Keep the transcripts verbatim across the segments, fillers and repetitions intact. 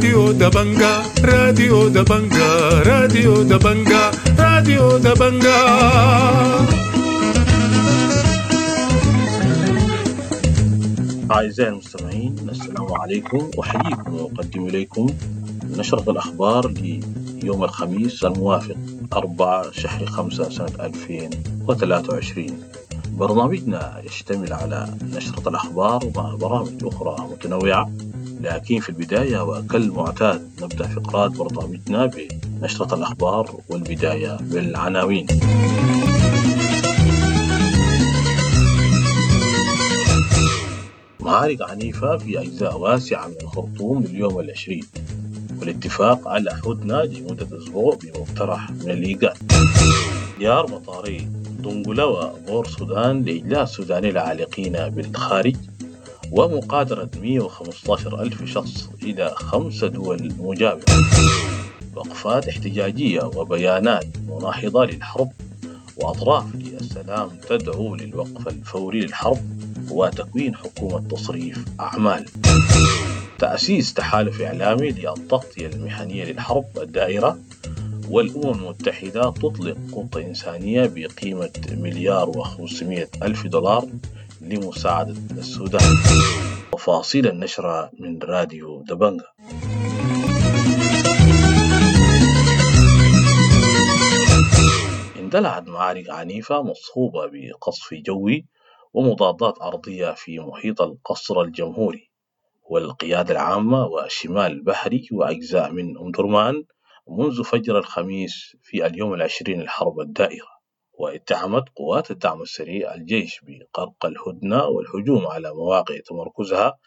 راديو دبنجا، راديو دبنجا، راديو دبنجا، راديو دبنجا. أعزائي المستمعين، السلام عليكم، أحييكم وأقدم إليكم نشرة الأخبار ليوم الخميس الموافق أربعة شهر خمسة سنة ألفين وثلاثة وعشرين. برنامجنا يشتمل على نشرة الأخبار ومع برامج أخرى متنوعة، لكن في البداية وكالمعتاد نبدأ فقرات برنامجنا بنشرة الأخبار، والبداية بالعناوين. معارك عنيفة في أجزاء واسعة من الخرطوم لليوم العشرين، والاتفاق على هدنة لمدة أسبوع بمقترح من الإيجاد. زيار مطاري دنقلة وبور سودان لإجلاء السودانيين العالقين بالخارج، ومقادرة مئة وخمسة عشر ألف شخص إلى خمس دول مجاورة. وقفات احتجاجية وبيانات مناهضة للحرب، وأطراف للسلام تدعو للوقف الفوري للحرب وتكوين حكومة تصريف أعمال. تأسيس تحالف إعلامي للتغطية المهنية للحرب الدائرة، والأمم المتحدة تطلق خطة إنسانية بقيمة مليار وخمسمائة ألف دولار لمساعدة السودان. تفاصيل النشرة من راديو دبنجا. اندلعت معارك عنيفة مصحوبة بقصف جوي ومضادات أرضية في محيط القصر الجمهوري والقيادة العامة وشمال البحري وأجزاء من أم درمان منذ فجر الخميس في اليوم العشرين للحرب الدائرة. واتهمت قوات الدعم السريع الجيش بقرق الهدنة والهجوم على مواقع تمركزها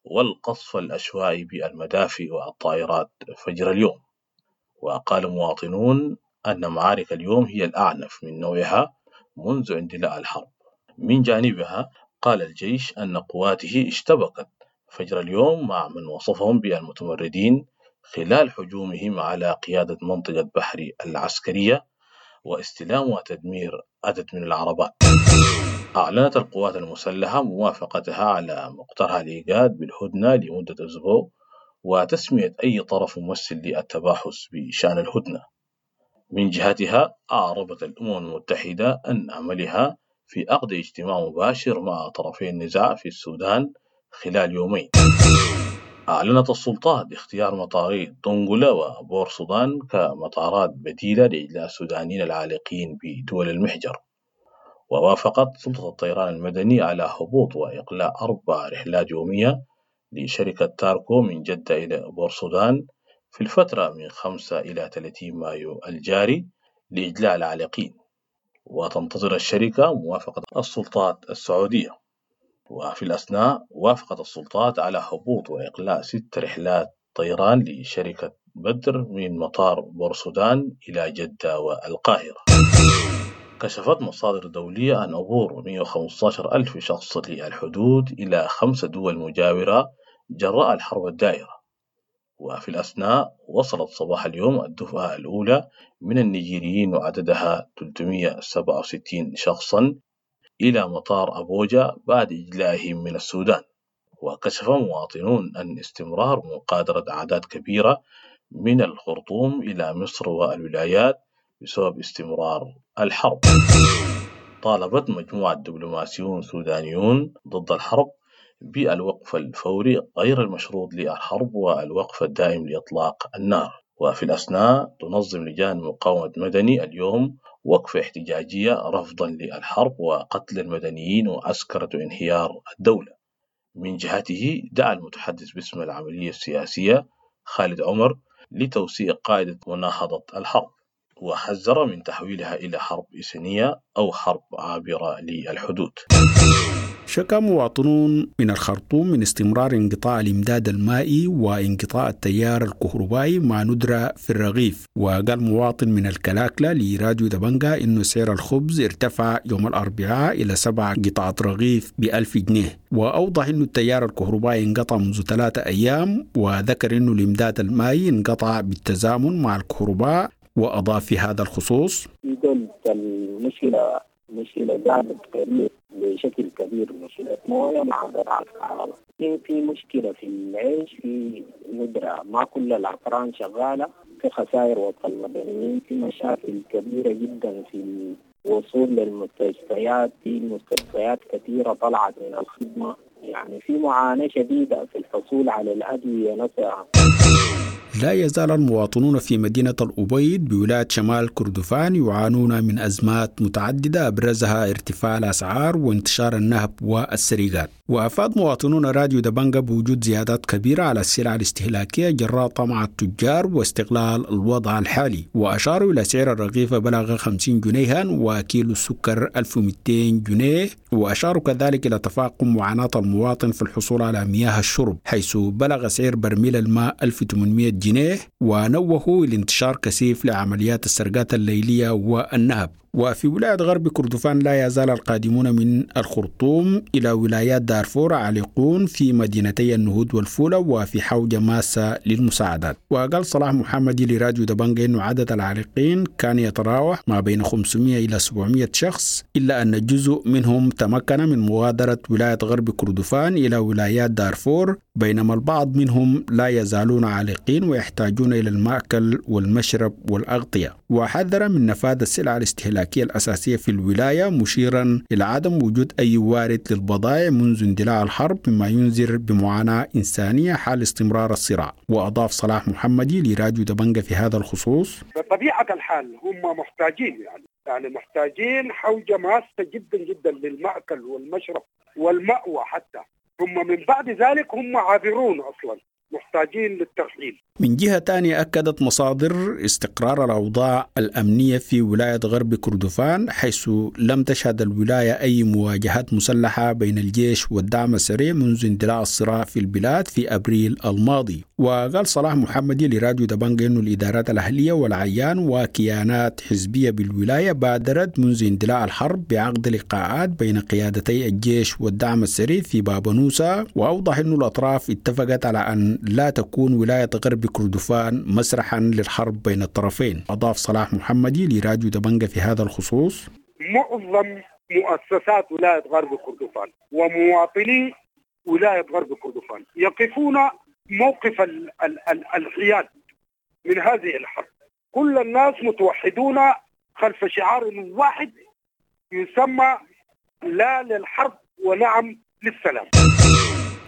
والقصف العشوائي بالمدافع والطائرات فجر اليوم. وقال مواطنون أن معارك اليوم هي الأعنف من نوعها منذ اندلاع الحرب. من جانبها قال الجيش أن قواته اشتبكت فجر اليوم مع من وصفهم بالمتمردين خلال هجومهم على قيادة منطقة بحري العسكرية واستلام وتدمير عدد من العربات. أعلنت القوات المسلحة موافقتها على مقترح الإيجاد بالهدنة لمدة أسبوع وتسمية أي طرف ممثل للتباحث بشأن الهدنة. من جهتها أعربت الأمم المتحدة أن عملها في عقد اجتماع مباشر مع طرفي النزاع في السودان خلال يومين. أعلنت السلطات اختيار مطاري دنقلة وبور سودان كمطارات بديلة لإجلاء السودانيين العالقين بدول المحجر. ووافقت سلطة الطيران المدني على هبوط وإقلاع أربع رحلات يومية لشركة تاركو من جدة إلى بور سودان في الفترة من خمسة إلى ثلاثين مايو الجاري لإجلاء العالقين. وتنتظر الشركة موافقة السلطات السعودية. وفي الأثناء وافقت السلطات على هبوط وإقلاع ست رحلات طيران لشركة بدر من مطار بورسودان إلى جدة والقاهرة. كشفت مصادر دولية عن عبور مئة وخمسة عشر ألف شخص للحدود إلى خمس دول مجاورة جراء الحرب الدائرة. وفي الأثناء وصلت صباح اليوم الدفعة الأولى من النيجيريين وعددها ثلاثمئة وسبعة وستين شخصا إلى مطار أبوجا بعد إجلائهم من السودان. وكشف مواطنون أن استمرار مقادرة أعداد كبيرة من الخرطوم إلى مصر والولايات بسبب استمرار الحرب. طالبت مجموعة دبلوماسيون سودانيون ضد الحرب بالوقف الفوري غير المشروط للحرب والوقف الدائم لإطلاق النار. وفي الأثناء تنظم لجان مقاومة مدني اليوم وقفة احتجاجية رفضا للحرب وقتل المدنيين وعسكرة انهيار الدولة. من جهته دعا المتحدث باسم العملية السياسية خالد عمر لتوسيع قاعدة مناهضة الحرب، وحذر من تحويلها إلى حرب إنسانية أو حرب عابرة للحدود. شكا مواطنون من الخرطوم من استمرار انقطاع الإمداد المائي وانقطاع التيار الكهربائي مع ندرة في الرغيف. وقال مواطن من الكلاكلة لراديو دبنجا إنه سعر الخبز ارتفع يوم الأربعاء إلى سبع قطعة رغيف بألف جنيه. وأوضح إنه التيار الكهربائي انقطع منذ ثلاثة أيام، وذكر إنه الإمداد المائي انقطع بالتزامن مع الكهرباء. وأضاف في هذا الخصوص: المشكلة مشكلة دعم كبير بشكل كبير، مشكلة موية مع قطع الكهرباء. في مشكلة في العيش، في ندرة، ما كل الأفران شغالة، في خسائر وسط المدنيين، في مشاكل كبيرة جدا في الوصول للمستشفيات، في مستشفيات كثيرة طلعت من الخدمة، يعني في معاناة شديدة في الحصول على الأدوية نفسها. لا يزال المواطنون في مدينة الأبيض بولاية شمال كردفان يعانون من أزمات متعددة أبرزها ارتفاع الأسعار وانتشار النهب والسرقات. وأفاد مواطنون راديو دبنجة بوجود زيادات كبيرة على السلع الاستهلاكية جراء طمع التجار واستغلال الوضع الحالي، وأشاروا إلى سعر الرغيف بلغ خمسين جنيها وكيلو السكر ألف ومئتين جنيه، وأشاروا كذلك إلى تفاقم معاناة المواطن في الحصول على مياه الشرب حيث بلغ سعر برميل الماء ألف وثمانمئة جنيه، ونوهوا لانتشار كثيف لعمليات السرقات الليلية والنهب. وفي ولاية غرب كردفان لا يزال القادمون من الخرطوم إلى ولايات دارفور عالقون في مدينتي النهود والفولة وفي حوجة ماسة للمساعدات. وقال صلاح محمدي لراديو دبنجة أن عدد العالقين كان يتراوح ما بين خمسمئة إلى سبعمئة شخص، إلا أن جزء منهم تمكن من مغادرة ولاية غرب كردفان إلى ولايات دارفور، بينما البعض منهم لا يزالون عالقين ويحتاجون إلى المأكل والمشرب والأغطية. وحذر من نفاذ السلع الاستهلاكية الأساسية في الولاية، مشيرا إلى عدم وجود أي وارد للبضائع منذ اندلاع الحرب، مما ينذر بمعاناة إنسانية حال استمرار الصراع. وأضاف صلاح محمدي لراديو دبنجة في هذا الخصوص: بطبيعة الحال هم محتاجين، يعني يعني محتاجين حوجة ماسة جدا جدا للمأكل والمشرب والمأوى حتى، ثم من بعد ذلك هم عابرون أصلا، محتاجين للترحيل. من جهة ثانية أكدت مصادر استقرار الأوضاع الأمنية في ولاية غرب كردفان، حيث لم تشهد الولاية أي مواجهات مسلحة بين الجيش والدعم السريع منذ اندلاع الصراع في البلاد في أبريل الماضي. وقال صلاح محمدي لراديو دبنجة أن الإدارات الأهلية والعيان وكيانات حزبية بالولاية بادرت منذ اندلاع الحرب بعقد لقاءات بين قيادتي الجيش والدعم السريع في بابنوسة، وأوضح أن الأطراف اتفقت على أن لا تكون ولاية غرب كردفان مسرحا للحرب بين الطرفين. أضاف صلاح محمدي لراديو دبنجة في هذا الخصوص: معظم مؤسسات ولاية غرب كردفان ومواطني ولاية غرب كردفان يقفون موقف ال ال ال الحياد من هذه الحرب. كل الناس متوحدون خلف شعار واحد يسمى لا للحرب ونعم للسلام.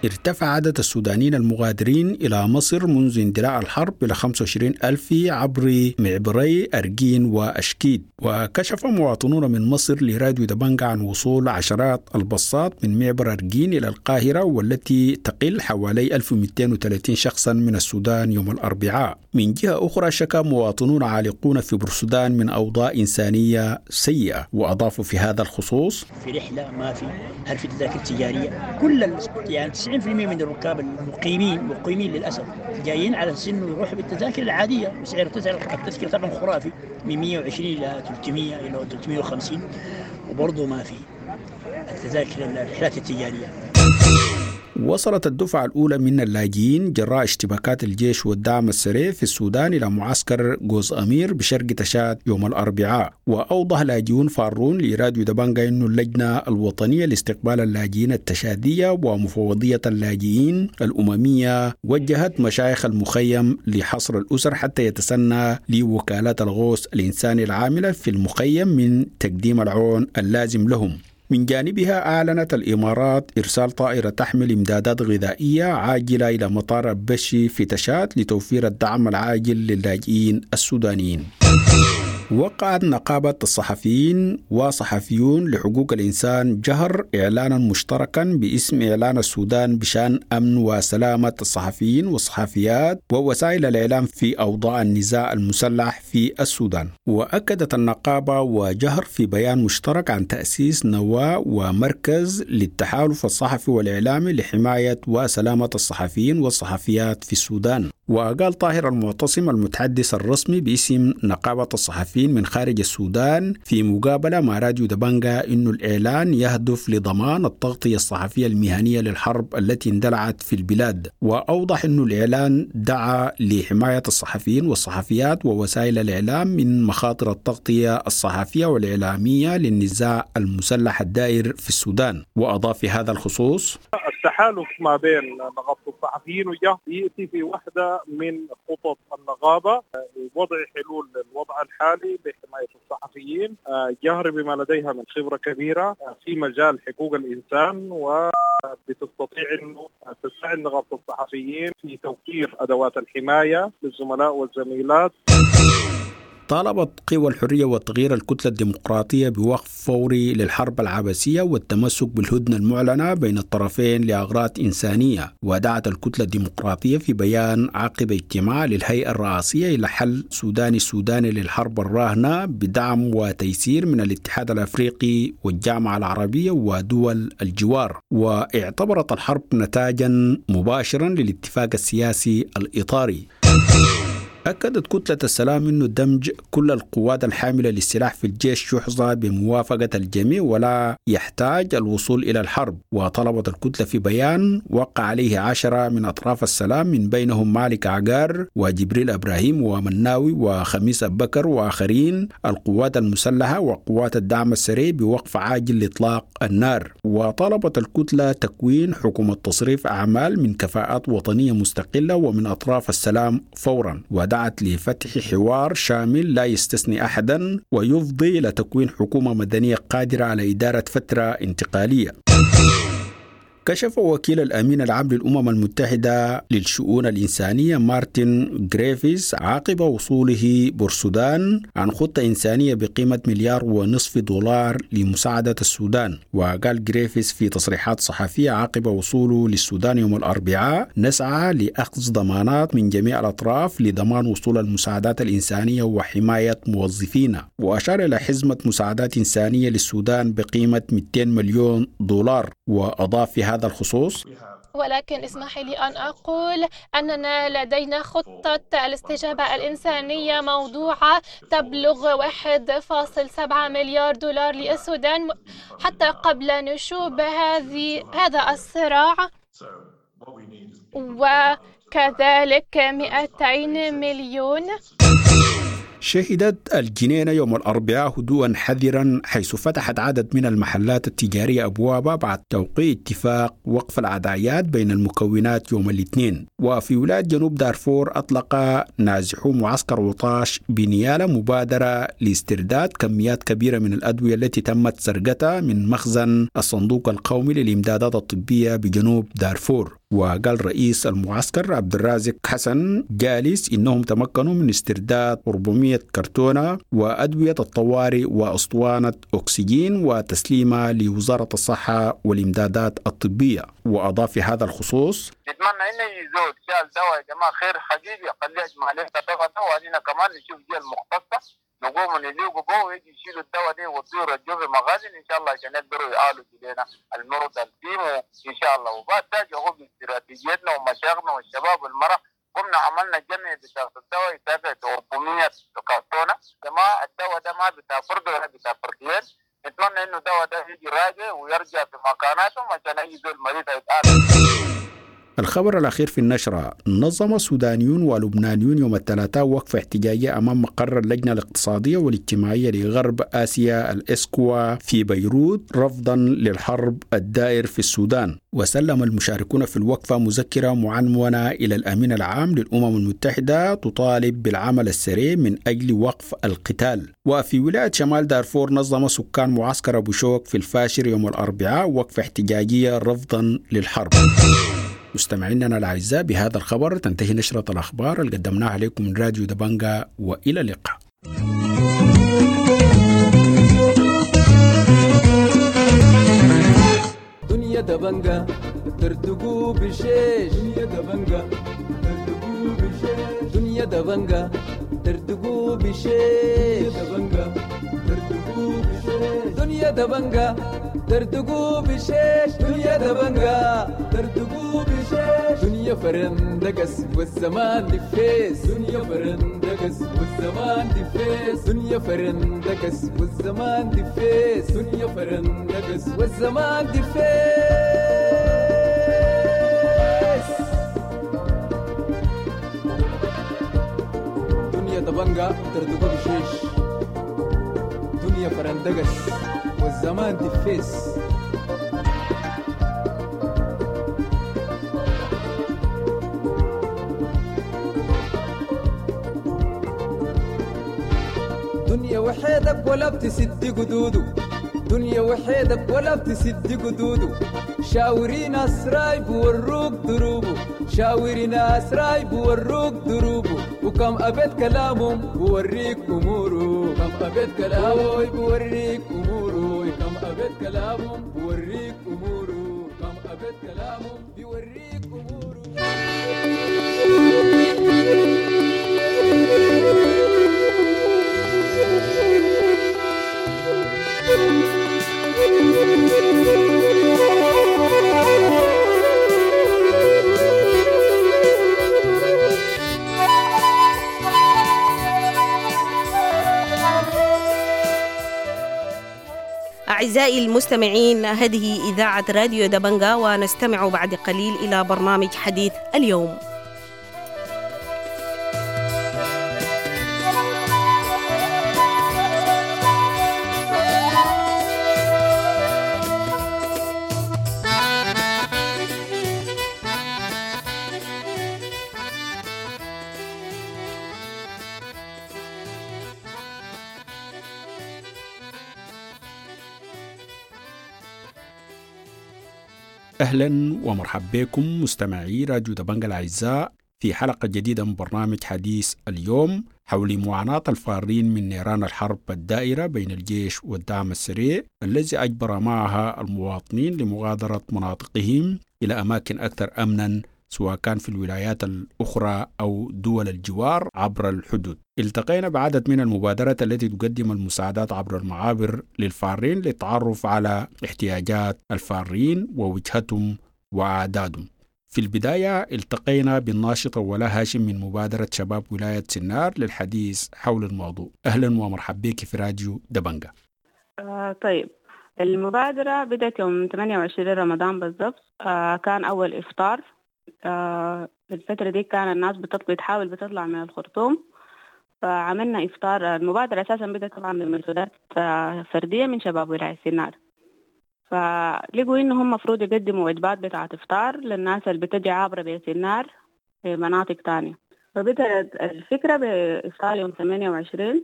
ارتفع عدد السودانيين المغادرين إلى مصر منذ اندلاع الحرب إلى خمسة وعشرين ألف عبر معبري أرجين وأشكيد. وكشف مواطنون من مصر لراديو دبنجة عن وصول عشرات الباصات من معبر أرجين إلى القاهرة، والتي تقل حوالي ألف ومئتين وثلاثين شخصا من السودان يوم الأربعاء. من جهة أخرى شكا مواطنون عالقون في بورسودان من أوضاع إنسانية سيئة، وأضافوا في هذا الخصوص: في رحلة ما في، هل في تذاكر تجارية؟ كل يعني تسعين بالمئة من الركاب المقيمين مقيمين للأسف جايين على سن يروحوا بالتذاكر العادية، وسعر التذكرة طبعا خرافي من مئة وعشرين إلى ثلاثمئة إلى ثلاثمئة وخمسين، وبرضه ما في التذاكر الرحلات التجارية. وصلت الدفعة الأولى من اللاجئين جراء اشتباكات الجيش والدعم السريع في السودان إلى معسكر جوز أمير بشرق تشاد يوم الأربعاء. وأوضح لاجئون فارون لراديو دبنجة أن اللجنة الوطنية لاستقبال اللاجئين التشادية ومفوضية اللاجئين الأممية وجهت مشايخ المخيم لحصر الأسر حتى يتسنى لوكالات الغوث الإنساني العاملة في المخيم من تقديم العون اللازم لهم. من جانبها أعلنت الإمارات إرسال طائرة تحمل إمدادات غذائية عاجلة إلى مطار بشي في تشاد لتوفير الدعم العاجل للاجئين السودانيين. وقعت نقابة الصحفيين وصحفيون لحقوق الإنسان جهر إعلانا مشتركا باسم إعلان السودان بشأن أمن وسلامة الصحفيين والصحفيات ووسائل الإعلام في أوضاع النزاع المسلح في السودان. وأكدت النقابة وجهر في بيان مشترك عن تأسيس نواة ومركز للتحالف الصحفي والإعلامي لحماية وسلامة الصحفيين والصحفيات في السودان. وقال طاهر المعتصم المتحدث الرسمي باسم نقابة الصحفيين الصحفيين من خارج السودان في مقابلة مع راديو دبنجا أن الإعلان يهدف لضمان التغطية الصحفية المهنية للحرب التي اندلعت في البلاد. وأوضح أن الإعلان دعا لحماية الصحفيين والصحفيات ووسائل الإعلام من مخاطر التغطية الصحفية والإعلامية للنزاع المسلح الدائر في السودان. وأضاف في هذا الخصوص: التحالف ما بين نقابة الصحفيين وجهر يأتي في واحدة من خطط النقابة لوضع حلول للوضع الحالي لحماية الصحفيين. جهر بما لديها من خبرة كبيرة في مجال حقوق الإنسان، وبتستطيع أنه تساعد نقابة الصحفيين في توفير أدوات الحماية للزملاء والزميلات. طالبت قوى الحرية والتغيير الكتلة الديمقراطية بوقف فوري للحرب العبثية والتمسك بالهدنة المعلنة بين الطرفين لأغراض إنسانية. ودعت الكتلة الديمقراطية في بيان عقب اجتماع للهيئة الرئاسية إلى حل سوداني سوداني للحرب الراهنة بدعم وتيسير من الاتحاد الأفريقي والجامعة العربية ودول الجوار. واعتبرت الحرب نتاجا مباشرا للاتفاق السياسي الإطاري. أكدت كتلة السلام أن دمج كل القوات الحاملة للسلاح في الجيش يحظى بموافقة الجميع ولا يحتاج الوصول إلى الحرب. وطلبت الكتلة في بيان وقع عليه عشرة من أطراف السلام من بينهم مالك عقار وجبريل إبراهيم ومناوي وخميس أبو بكر وآخرين القوات المسلحة وقوات الدعم السريع بوقف عاجل لإطلاق النار. وطلبت الكتلة تكوين حكومة تصريف أعمال من كفاءات وطنية مستقلة ومن أطراف السلام فورا. ودعت لفتح حوار شامل لا يستثني أحدا ويفضي إلى تكوين حكومة مدنية قادرة على إدارة فترة انتقالية. كشف وكيل الأمين العام للأمم المتحدة للشؤون الإنسانية مارتن غريفيس عقب وصوله بورسودان عن خطة إنسانية بقيمة مليار ونصف دولار لمساعدة السودان. وقال غريفيس في تصريحات صحفية عقب وصوله للسودان يوم الأربعاء: نسعى لأخذ ضمانات من جميع الأطراف لضمان وصول المساعدات الإنسانية وحماية موظفينا. وأشار إلى حزمة مساعدات إنسانية للسودان بقيمة مئتين مليون دولار. وأضاف في هذا الخصوص: ولكن اسمح لي أن أقول أننا لدينا خطة الاستجابة الإنسانية موضوعة تبلغ واحد فاصل سبعة مليار دولار للسودان حتى قبل نشوب هذه هذا الصراع، وكذلك مئتين مليون. شهدت الجنينة يوم الأربعاء هدوءا حذرا، حيث فتحت عدد من المحلات التجارية أبوابها بعد توقيع اتفاق وقف العدايات بين المكونات يوم الاثنين. وفي ولاية جنوب دارفور أطلق نازحو معسكر وطاش بنيالة مبادرة لاسترداد كميات كبيرة من الأدوية التي تمت سرقتها من مخزن الصندوق القومي للإمدادات الطبية بجنوب دارفور. وقال رئيس المعسكر عبد الرازق حسن جالس إنهم تمكنوا من استرداد أربعمائة كرتونة وأدوية الطوارئ وأسطوانة أكسجين وتسليمها لوزارة الصحة والإمدادات الطبية. وأضاف في هذا الخصوص: نتمنى إنه يزول شال دواء يا جماعة خير حقيقي، خليه يجمع لنا دواء وعلينا كمان نشوف جيل المختصة نقوم نليقوا به ويجي يشيلوا الدواء دي ويطيروا الجو في مخازن ان شاء الله عشان يقدروا يعالجوا لنا المرضى الفيمو ان شاء الله. وبعد ذلك هو باستراتيجيتنا ومشاغنا والشباب والمرأة قمنا عملنا جمع بتاع الدواء يتابع أربعمية كرتونة. جماعة الدواء ده ما بتاع فرد ولا بتاع فردين، نتمنى انه الدواء ده يجي راجع ويرجع في مكاناتهم عشان اي زول مريض يتعالج. الخبر الأخير في النشرة: نظم سودانيون ولبنانيون يوم الثلاثاء وقفة احتجاجية أمام مقر اللجنة الاقتصادية والاجتماعية لغرب آسيا الإسكوا في بيروت رفضا للحرب الدائر في السودان. وسلم المشاركون في الوقفة مذكرة معنونة إلى الأمين العام للأمم المتحدة تطالب بالعمل السريع من أجل وقف القتال. وفي ولاية شمال دارفور نظم سكان معسكر أبو شوك في الفاشر يوم الأربعاء وقفة احتجاجية رفضا للحرب. مستمعينا الأعزاء، بهذا الخبر تنتهي نشرة الأخبار اللي قدمناها عليكم من راديو دبنجا، وإلى اللقاء. دنيا دبنجا ترتقو بشيش، دنيا دبنجا ترتقو بشيش، دنيا دبنجا ترتقو بشيش، دبنجا ترتقو بشيش، دنيا دبنجا دردقوا بشيش دنيا دبنجا دردقوا بشيش دنيا فرندقس والزمان دفيس دنيا فرندقس والزمان دفيس دنيا فرندقس والزمان دفيس دنيا فرندقس والزمان دفيس. دنيا دبنجا دردقوا بشيش دنيا فرندقس والزمان دفيس. دنيا وحيدك ولا بتسد قدوده دنيا وحيدك ولا بتسد قدوده شاوري ناس رايب وروك دروبه شاوري ناس رايب وروك دروبه وكم أبيت كلامهم بوريك أموره كم أبيت كلامه بوريك أموره كم أبيت كلامهم بوريك أموره كم أبيت كلامهم بوريك أموره. أعزائي المستمعين، هذه إذاعة راديو دبنجا، ونستمع بعد قليل إلى برنامج حديث اليوم. أهلا ومرحبا بكم مستمعي راديو دبنجا الأعزاء في حلقة جديدة من برنامج حديث اليوم حول معاناة الفارين من نيران الحرب الدائرة بين الجيش والدعم السريع الذي أجبر معها المواطنين لمغادرة مناطقهم إلى أماكن أكثر أمنا، سواء كان في الولايات الأخرى أو دول الجوار عبر الحدود. التقينا بعدد من المبادرات التي تقدم المساعدات عبر المعابر للفارين للتعرف على احتياجات الفارين ووجهتهم وأعدادهم. في البداية التقينا بالناشطة ولا هاشم من مبادرة شباب ولاية سنار للحديث حول الموضوع. أهلا ومرحبا بك في راديو دبنجا. آه طيب، المبادرة بدأت يوم ثمانية وعشرين رمضان بالضبط. آه كان أول إفطار. آه الفترة دي كان الناس بتطلع بتحاول بتطلع من الخرطوم، فعملنا إفطار. المبادرة أساسا بدأت طبعا بمجهودات فردية من شباب ولاية سنار، فلقوا إنه هم مفروض يقدموا وجبات بتاعة إفطار للناس اللي بتجي عابرة بيت النار في مناطق تانية. فبدأت الفكرة بإفطار يوم ثمانية وعشرين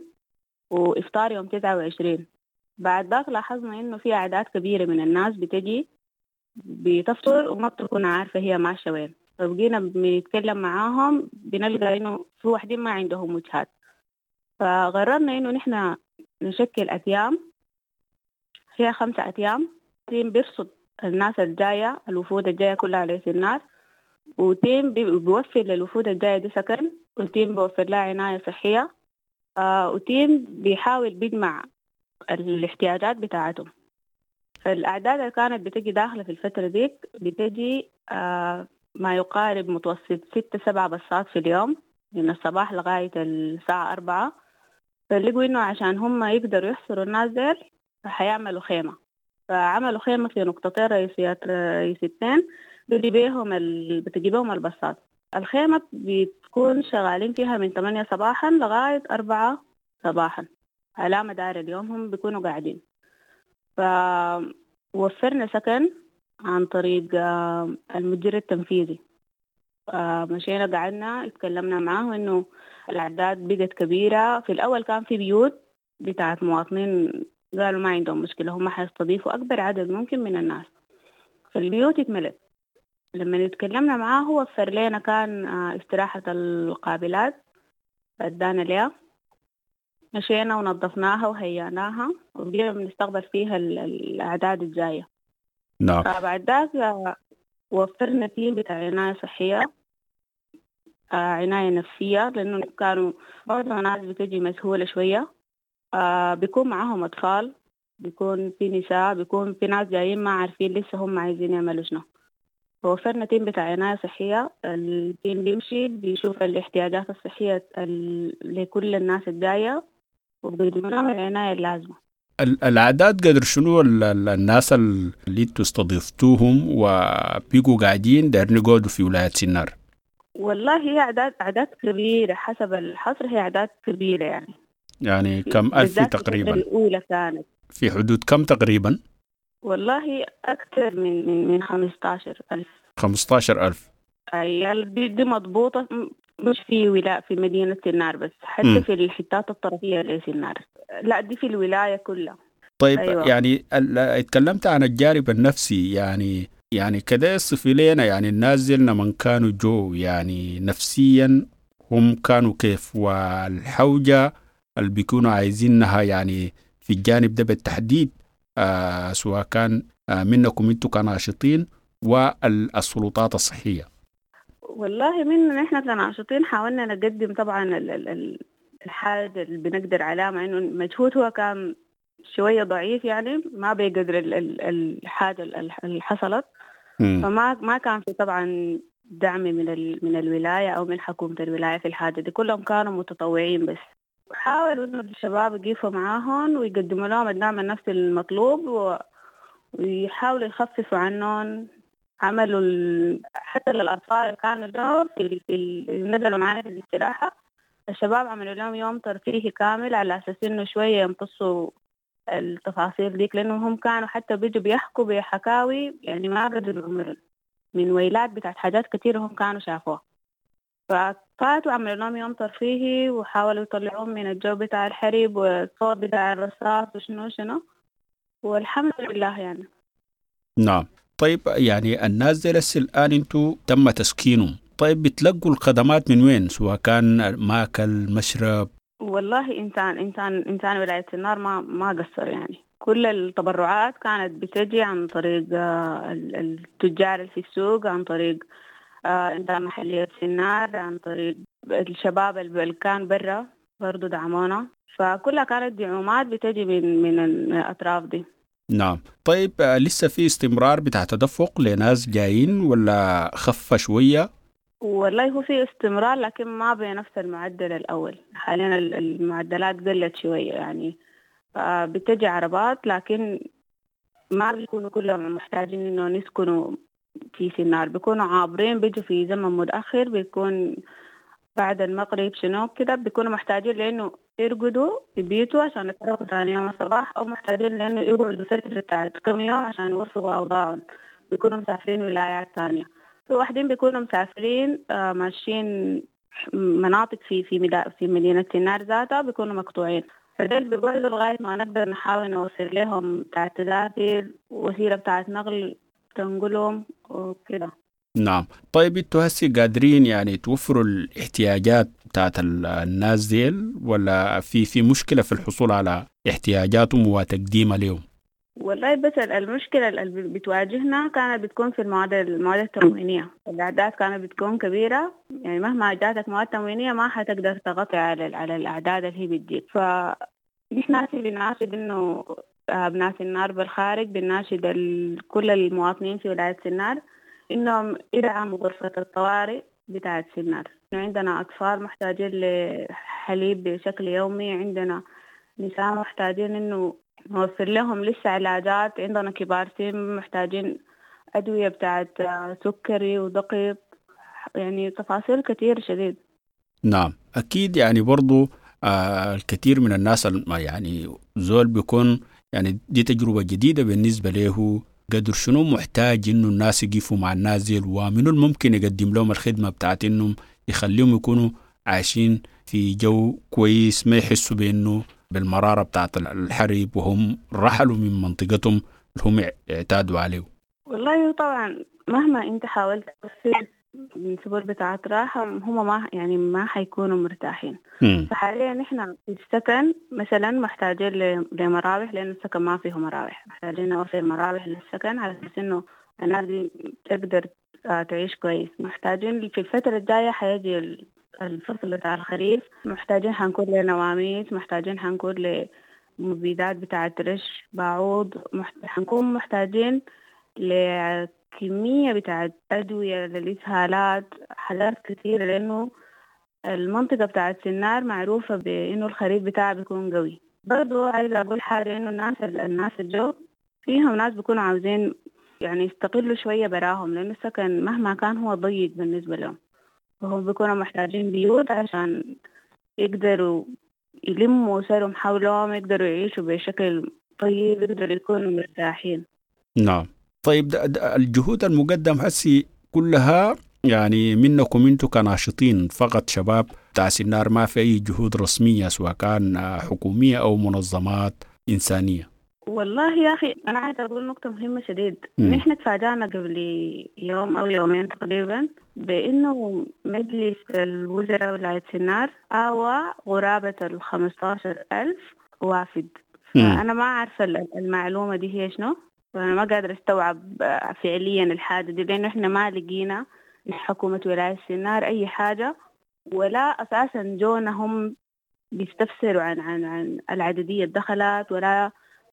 وإفطار يوم تسعة وعشرين. بعد ذاك لاحظنا إنه في أعداد كبيرة من الناس بتجي بتفطر وما بتكون عارفة هي ماشية وين، فبقينا بنتكلم معاهم بنلقى إنه في واحدين ما عندهم وجهات. فقررنا إنه نحن نشكل أتيام، فيها خمسة أتيام. team بيرصد الناس الجاية، الوفود الجاية كلها على الناس، و team بيوفر للوفود الجاية دي سكن، و team بيوفر لها عناية صحية، آه و team بيحاول بيجمع الاحتياجات بتاعتهم. فالأعداد اللي كانت بتجي داخلة في الفترة ديك بتجي آه ما يقارب متوسط ستة سبعة بصات في اليوم من الصباح لغاية الساعة أربعة. فلقوا إنه عشان هم يقدروا يحصروا الناس ديل فحيعملوا خيمة، فعملوا خيمة في نقطتين رئيسيات رئيسيتين بتجي بيهم ال... بتجي بيهم البصات. الخيمة بتكون شغالين فيها من ثمانية صباحا لغاية أربعة صباحا على مدار اليوم هم بيكونوا قاعدين. فوفرنا سكن عن طريق المدير التنفيذي، مشينا قعدنا اتكلمنا معاه إنه الأعداد بقت كبيرة. في الأول كان في بيوت بتاعت مواطنين قالوا ما عندهم مشكلة، هم حيستضيفوا أكبر عدد ممكن من الناس، فالبيوت اتملت. لما اتكلمنا معاه وفر لنا كان استراحة القابلات ادانا ليها، مشينا ونظفناها وهيأناها وبقينا بنستقبل فيها الأعداد الجاية. نعم. فبعد ذاك وفرنا تيم بتاع عناية صحية، عناية نفسية، لأنه كانوا بعض الناس بتجي مسهولة شوية، بيكون معاهم أطفال، بيكون في نساء، بيكون في ناس جايين ما عارفين لسه هم عايزين يعملوا شنو. وفرنا team بتاع عناية صحية، ال team بيمشي بيشوف الاحتياجات الصحية لكل الناس الجاية وبيقدموا لهم العناية اللازمة. الأعداد قدر شنو الناس اللي انتوا استضفتوهم وبيقوا قاعدين دايرين يقعدوا في ولاية سنار؟ والله هي أعداد أعداد كبيرة، حسب الحصر هي أعداد كبيرة يعني. يعني كم ألف تقريبا؟ الأولى كانت في حدود كم تقريبا؟ والله أكثر من من من خمسة عشر ألف. خمسة عشر ألف. أي دي, دي مضبوطة، مش في ولاية في مدينة سنار بس، حتى م. في الحتات الطرفية لسنار، لا دي في الولاية كلها. طيب أيوة. يعني اتكلمت عن الجانب النفسي، يعني يعني كده صفي لنا يعني الناس ديلنا من كانوا جو يعني نفسيا هم كانوا كيف، والحوجة اللي بيكونوا عايزينها يعني في الجانب ده بالتحديد آه سواء كان آه منكم انتوا كناشطين والسلطات الصحية. والله من نحن كناشطين حاولنا نقدم طبعا الحاجة اللي بنقدر عليها، مع انه المجهود هو كان شوية ضعيف يعني ما بيقدر الحاجة اللي حصلت. م. فما ما كان في طبعا دعم من من الولاية او من حكومة الولاية في الحاجة دي، كلهم كانوا متطوعين بس. حاولوا إنه الشباب يقفوا معاهم ويقدموا لهم الدعم النفسي المطلوب و... ويحاولوا يخففوا عنهم. عملوا ال... حتى للأطفال اللي كانوا لهم في, في ال... نزلوا معنا في الاستراحة، الشباب عملوا لهم يوم ترفيهي كامل على أساس إنه شوية يمتصوا التفاصيل ديك، لأنهم هم كانوا حتى بيجوا بيحكوا بحكاوي يعني ما قدروا عمرهم من ويلات بتاعت حاجات كتير هم كانوا شافوها. ففاتوا عملوا لهم يوم ترفيهي وحاولوا يطلعوهم من الجو بتاع الحرب والصوت بتاع الرصاص وشنو شنو، والحمد لله يعني. نعم. طيب يعني الناس دي لسه الآن انتوا تم تسكينهم، طيب بتلقوا الخدمات من وين سواء كان ماكل مشرب؟ والله إنسان إنسان إنسان ولاية سنار ما ما قصر يعني، كل التبرعات كانت بتجي عن طريق التجار اللي في السوق، عن طريق إنسان محلية سنار، عن طريق الشباب اللي كان برا برضو دعمونا، فكلها كانت دعومات بتجي من من الأطراف دي. نعم. طيب لسه في استمرار بتاع تدفق لناس جايين ولا خف شوية؟ والله هو في استمرار لكن ما بنفس المعدل الأول. حاليا المعدلات قلت شوية يعني، بتجي عربات لكن ما بيكونوا كلهم محتاجين إنه يسكنوا في سنار، بيكونوا عابرين، بيجوا في زمن متأخر، بيكون بعد المغرب شنو كده، بيكونوا محتاجين لأنه يرقدوا في بيته عشان يتحركوا ثاني يوم الصباح، أو محتاجين لأنه يقعدوا فترة بتاعت كم يوم عشان يوفقوا أوضاعهم، بيكونوا مسافرين ولايات ثانية. في واحدين بيكونوا مسافرين آه ماشيين مناطق في في في مدينة سنار ذاتها بيكونوا مقطوعين، فدول بيقعدوا لغاية ما نقدر نحاول نوصل لهم بتاعت تذاكر، وسيلة بتاعت نقل تنقلهم وكده. نعم. طيب انتوا هسي قادرين يعني توفروا الاحتياجات بتاعت الناس ديل ولا في في مشكلة في الحصول على احتياجاتهم وتقديمها لهم؟ والله بس المشكلة اللي بتواجهنا كانت بتكون في المواد المواد التموينية، الأعداد كانت بتكون كبيرة يعني، مهما جاتك مواد تموينية ما حتقدر تغطي على على الأعداد اللي هي بتجيب. فنحن بنناشد إنه أبناء سنار بالخارج، بنناشد كل المواطنين في ولاية سنار إنهم يدعموا غرفة الطوارئ بتاعة سنار. عندنا أطفال محتاجين لحليب بشكل يومي، عندنا نساء محتاجين إنه نوفر لهم لسه علاجات، عندنا كبار سن محتاجين أدوية بتاعت سكري وضغط، يعني تفاصيل كتير شديد. نعم أكيد. يعني برضو آه الكثير من الناس يعني زول بيكون يعني دي تجربة جديدة بالنسبة له، قدر شنو محتاج إنه الناس يقفوا مع الناس ديل، ومنو الممكن يقدم لهم الخدمة بتاعت إنهم يخليهم يكونوا عايشين في جو كويس، ما يحسوا بإنه بالمرارة بتاعت الحرب وهم رحلوا من منطقتهم اللي هم اعتادوا عليه. والله طبعا مهما انت حاولت توفر من سبل بتاعت راحة هم ما يعني ما حيكونوا مرتاحين. م. فحاليا نحن في السكن مثلا محتاجين لمراوح، لأن السكن ما فيه مراوح، محتاجين نوفر مراوح للسكن على أساس إنه الناس دي تقدر تعيش كويس. محتاجين في الفترة الجاية حيجي الفصل بتاع الخريف، محتاجين حنكون لنواميس، محتاجين حنكون لمبيدات بتاعة رش باعوض، حنكون محتاجين لكمية بتاعة أدوية للإسهالات، حاجات كثيرة، لأنه المنطقة بتاعة سنار معروفة بإنه الخريف بتاعها بيكون قوي. برضو عايزة أقول حاجة، إنه الناس الناس الجو فيهم ناس بيكونوا عاوزين يعني يستقلوا شوية براهم، لأنه السكن مهما كان هو ضيق بالنسبة لهم، وهم بيكونوا محتاجين بيوت عشان يقدروا يلموا أسرهم حولهم، يقدروا يعيشوا بشكل طيب، يقدروا يكونوا مرتاحين. نعم. طيب ده ده الجهود المقدم هسي كلها يعني منكم انتم كناشطين فقط شباب بتاع سنار، ما في أي جهود رسمية سواء كان حكومية أو منظمات إنسانية؟ والله يا أخي أنا عايزة أقول نقطة مهمة شديد. نحن تفاجأنا قبل يوم أو يومين تقريبا بأنه مجلس الوزراء ولاية سنار آوى قرابة الخمستاشر ألف وافد. فأنا ما عارفة المعلومة دي هي شنو، فأنا ما قادرة أستوعب فعليا الحاجة دي، لأنه إحنا ما لقينا من حكومة ولاية سنار أي حاجة، ولا أساسا جونا هم بيستفسروا عن عن عن العددية الدخلات ولا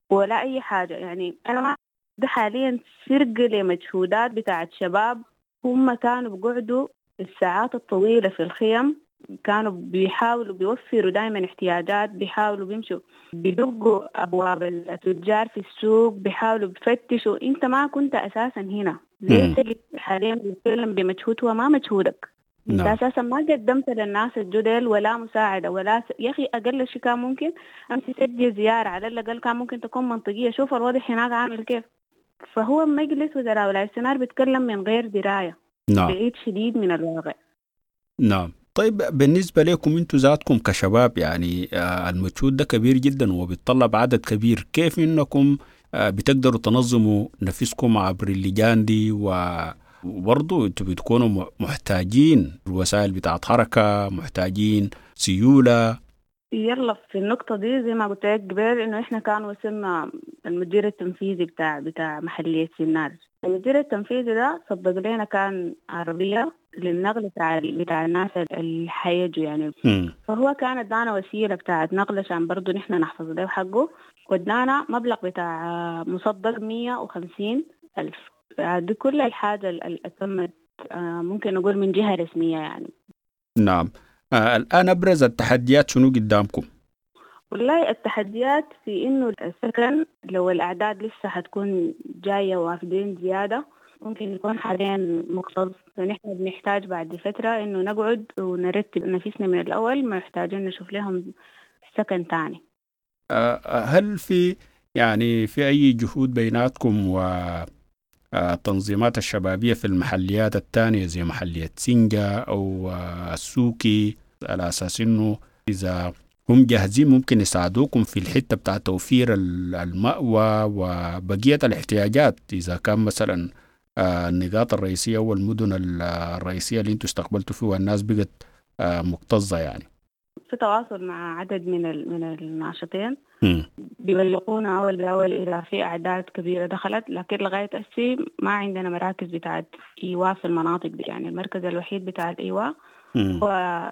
ولا أي حاجة. يعني أنا ما ده حاليا سرقة لمجهودات بتاعت شباب هم كانوا بيقعدوا الساعات الطويلة في الخيم، كانوا بيحاولوا بيوفروا دايما احتياجات، بيحاولوا بيمشوا بيدقوا أبواب التجار في السوق، بيحاولوا بيفتشوا. أنت ما كنت أساسا هنا، ليه تجي حاليا بتتكلم بمجهود هو ما مجهودك؟ انت اساسا ما قدمت للناس الجدل ولا مساعده ولا س... يا اخي اقل شيء كان ممكن امشي سجل زياره، على الاقل كان ممكن تكون منطقيه، شوف الوضع هناك عامل كيف. فهو مجلس وزراء ولاية سنار بيتكلم من غير درايه. نعم. بعيد شديد من الواقع. نعم. طيب بالنسبه لكم انتم ذاتكم كشباب يعني المجهود ده كبير جدا وبيتطلب عدد كبير، كيف انكم بتقدروا تنظموا نفسكم عبر اللجان دي؟ و وبرضو انتوا بتكونوا محتاجين الوسائل بتاعت حركة، محتاجين سيولة. يلا في النقطة دي زي ما قلت لك قبل انه احنا كان وصلنا المدير التنفيذي بتاع بتاع محلية سنار. المدير التنفيذي ده صدق لنا كان عربية للنقل بتاع بتاع الناس اللي حيجوا يعني. م. فهو كان ادانا وسيلة بتاعت نقل عشان برضو نحن نحفظ له حقه، وادانا مبلغ بتاع مصدق مية وخمسين ألف. دي كل الحاجة اللي تمت ممكن نقول من جهة رسمية يعني. نعم. آه الآن أبرز التحديات شنو قدامكم؟ والله التحديات في إنه السكن لو الأعداد لسه حتكون جاية وافدين زيادة ممكن يكون حاليا مكتظ، فنحن بنحتاج بعد فترة إنه نقعد ونرتب نفسنا من الأول، محتاجين نشوف لهم سكن تاني. آه هل في يعني في أي جهود بيناتكم و التنظيمات الشبابية في المحليات الثانية زي محلية سنجا أو السوكي، على أساس إنه إذا هم جاهزين ممكن يساعدوكم في الحتة بتاع توفير المأوى وبقية الاحتياجات، إذا كان مثلا النقاط الرئيسية والمدن الرئيسية اللي انتوا استقبلتوا فيها الناس بقت مكتظة يعني؟ في تواصل مع عدد من من الناشطين بيبلغونا أول بأول إذا في أعداد كبيرة دخلت، لكن لغاية هسي ما عندنا مراكز بتاعت إيواء في المناطق دي. يعني المركز الوحيد بتاع الإيواء هو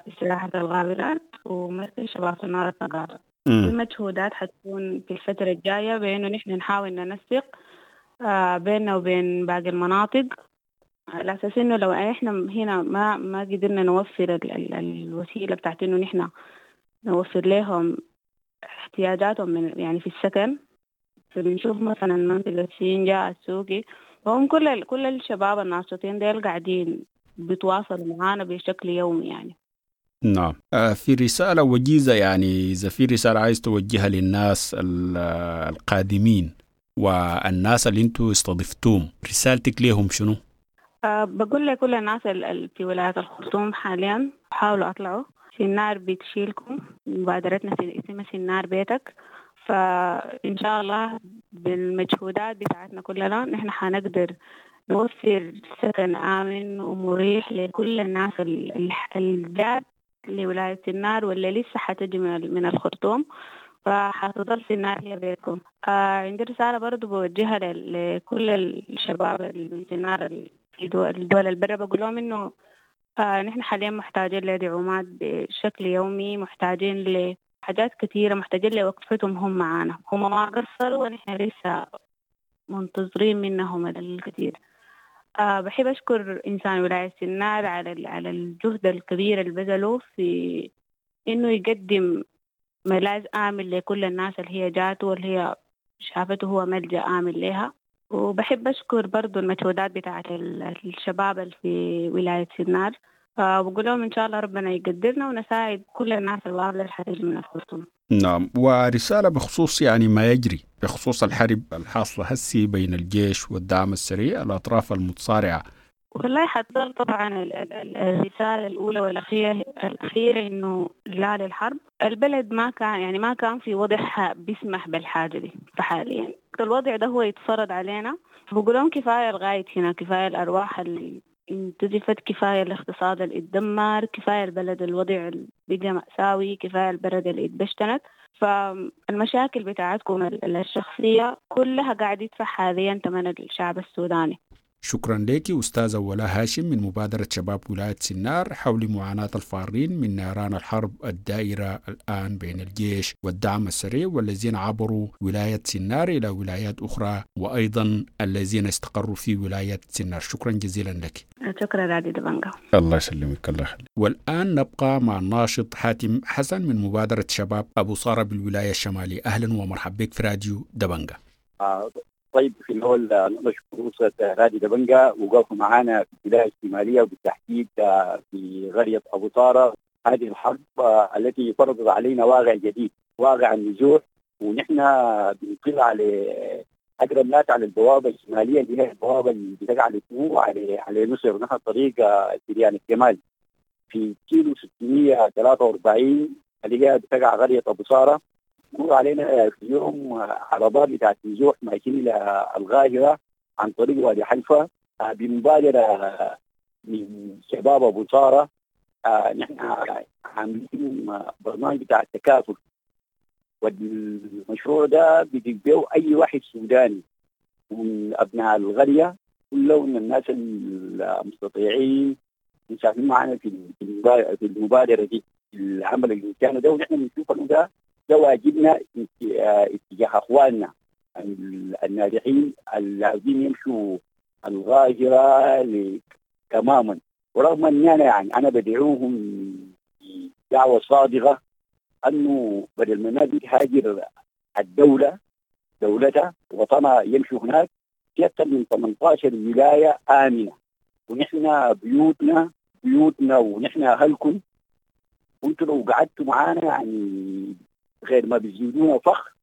استراحة الغابرات ومركز شباب سنار الثقافة. المجهودات حتكون في الفترة الجاية بأنه نحن نحاول ننسق بيننا وبين باقي المناطق، على أساس إنه لو إحنا هنا ما ما قدرنا نوفر ال ال الوسيلة بتاعت إنه نحن نوفر لهم احتياجاتهم من يعني في السكن، فبنشوف مثلا منطقة سينجا السوقي، وهم كل كل الشباب الناشطين ديل قاعدين بيتواصلوا معانا بشكل يومي يعني. نعم. في رسالة وجيزة يعني، إذا في رسالة عايز توجهها للناس القادمين والناس اللي انتوا استضفتوهم، رسالتك ليهم شنو؟ أه بقول لكل الناس اللي في ولاية الخرطوم حاليا حاولوا أطلعوا، سنار بتشيلكم، مبادرتنا اسمها سنار بيتك، فإن شاء الله بالمجهودات بتاعتنا كلنا نحن حنقدر نوفر سكن آمن ومريح لكل الناس الجات لولاية سنار واللي لسه حتجي من الخرطوم، فحتظل سنار هي بيتكم. آه عندي رسالة برضو بوجهها لكل الشباب اللي سنار في الدول البرة، بقول لهم إنه آه نحن حاليا محتاجين لدعومات بشكل يومي، محتاجين حاجات كثيرة محتاجين لوقفتهم هم معانا، هم ما قصروا ونحن لسه منتظرين منهم الكثير. أه بحب أشكر إنسان ولاية سنار على على الجهد الكبير اللي بذلوه في إنه يقدم ملاذ آمن لكل الناس اللي هي جاته واللي هي شافته هو ملجأ آمن لها. وبحب أشكر برضو المجهودات بتاعت الشباب اللي في ولاية سنار، وبقول لهم إن شاء الله ربنا يقدرنا ونساعد كل الناس الواصلة الحرج من الخرطوم. نعم، ورسالة بخصوص يعني ما يجري بخصوص الحرب الحاصلة هسي بين الجيش والدعم السريع، الأطراف المتصارعة. والله حتظل طبعا الرسالة الأولى والأخيرة الأخيرة إنه لا للحرب. البلد ما كان يعني ما كان في وضع بيسمح بالحاجة دي، فحاليا الوضع ده هو يتفرض علينا. بقول لهم كفاية لغاية هنا، كفاية الأرواح اللي انتزفت، كفاية الاقتصاد اللي اتدمر، كفاية البلد الوضع اللي بقى مأساوي، كفاية البلد اللي اتبشتنت. فالمشاكل بتاعتكم الشخصية كلها قاعد يدفع حاليا ثمن الشعب السوداني. شكرا لك أستاذة ولاء هاشم من مبادرة شباب ولاية سنار حول معاناة الفارين من نيران الحرب الدائرة الآن بين الجيش والدعم السريع، والذين عبروا ولاية سنار إلى ولايات أخرى، وأيضا الذين استقروا في ولاية سنار. شكرا جزيلا لك. شكرا رادي دبنجا. الله يسلمك، الله يخليك. والآن نبقى مع الناشط حاتم حسن من مبادرة شباب أبو صارة بالولاية الشمالية. أهلا ومرحبا بك في راديو دبنجا. آه. طيب، في الأول نشكر أسرة راديو دبنجا وقفوا معانا في الولاية الشمالية وبالتحديد في قرية أبو طارة. هذه الحرب التي فرضت علينا واقع جديد، واقع النزوح، ونحن بنطلع على أقرب ناس على البوابة الشمالية اللي هي البوابة اللي بتقع على على على مصر، ونحن طريق سريان الجمال في كيلو ستمية وثلاثة وأربعين اللي هي بتقع قرية أبو طارة. مر علينا في يوم عربات بتاعت نزوح ماشيين الى القاهرة عن طريق وادي حلفه بمبادرة من شباب ابو طاره. نحن عاملين برنامج بتاع التكافل، والمشروع ده بيجيبه اي واحد سوداني من ابناء القرية كلهم من الناس المستطيعين مساهمين معنا في في المبادرة دي، العمل الانساني ده. ونحن بنشوف انه ده ده واجبنا اتجاه اخواننا الناجحين اللي عاوزين يمشوا الغاجره تماما. ورغم ان انا يعني انا بدعوهم دعوه صادقة انه بدل ما الناس تهاجر الدولة دولتها وطنها يمشوا هناك في اكثر من ثمانية عشر ولاية امنه، ونحن بيوتنا بيوتنا ونحن اهلكم، وانتم لو قعدتوا معانا يعني غير ما بيزيدونا فخر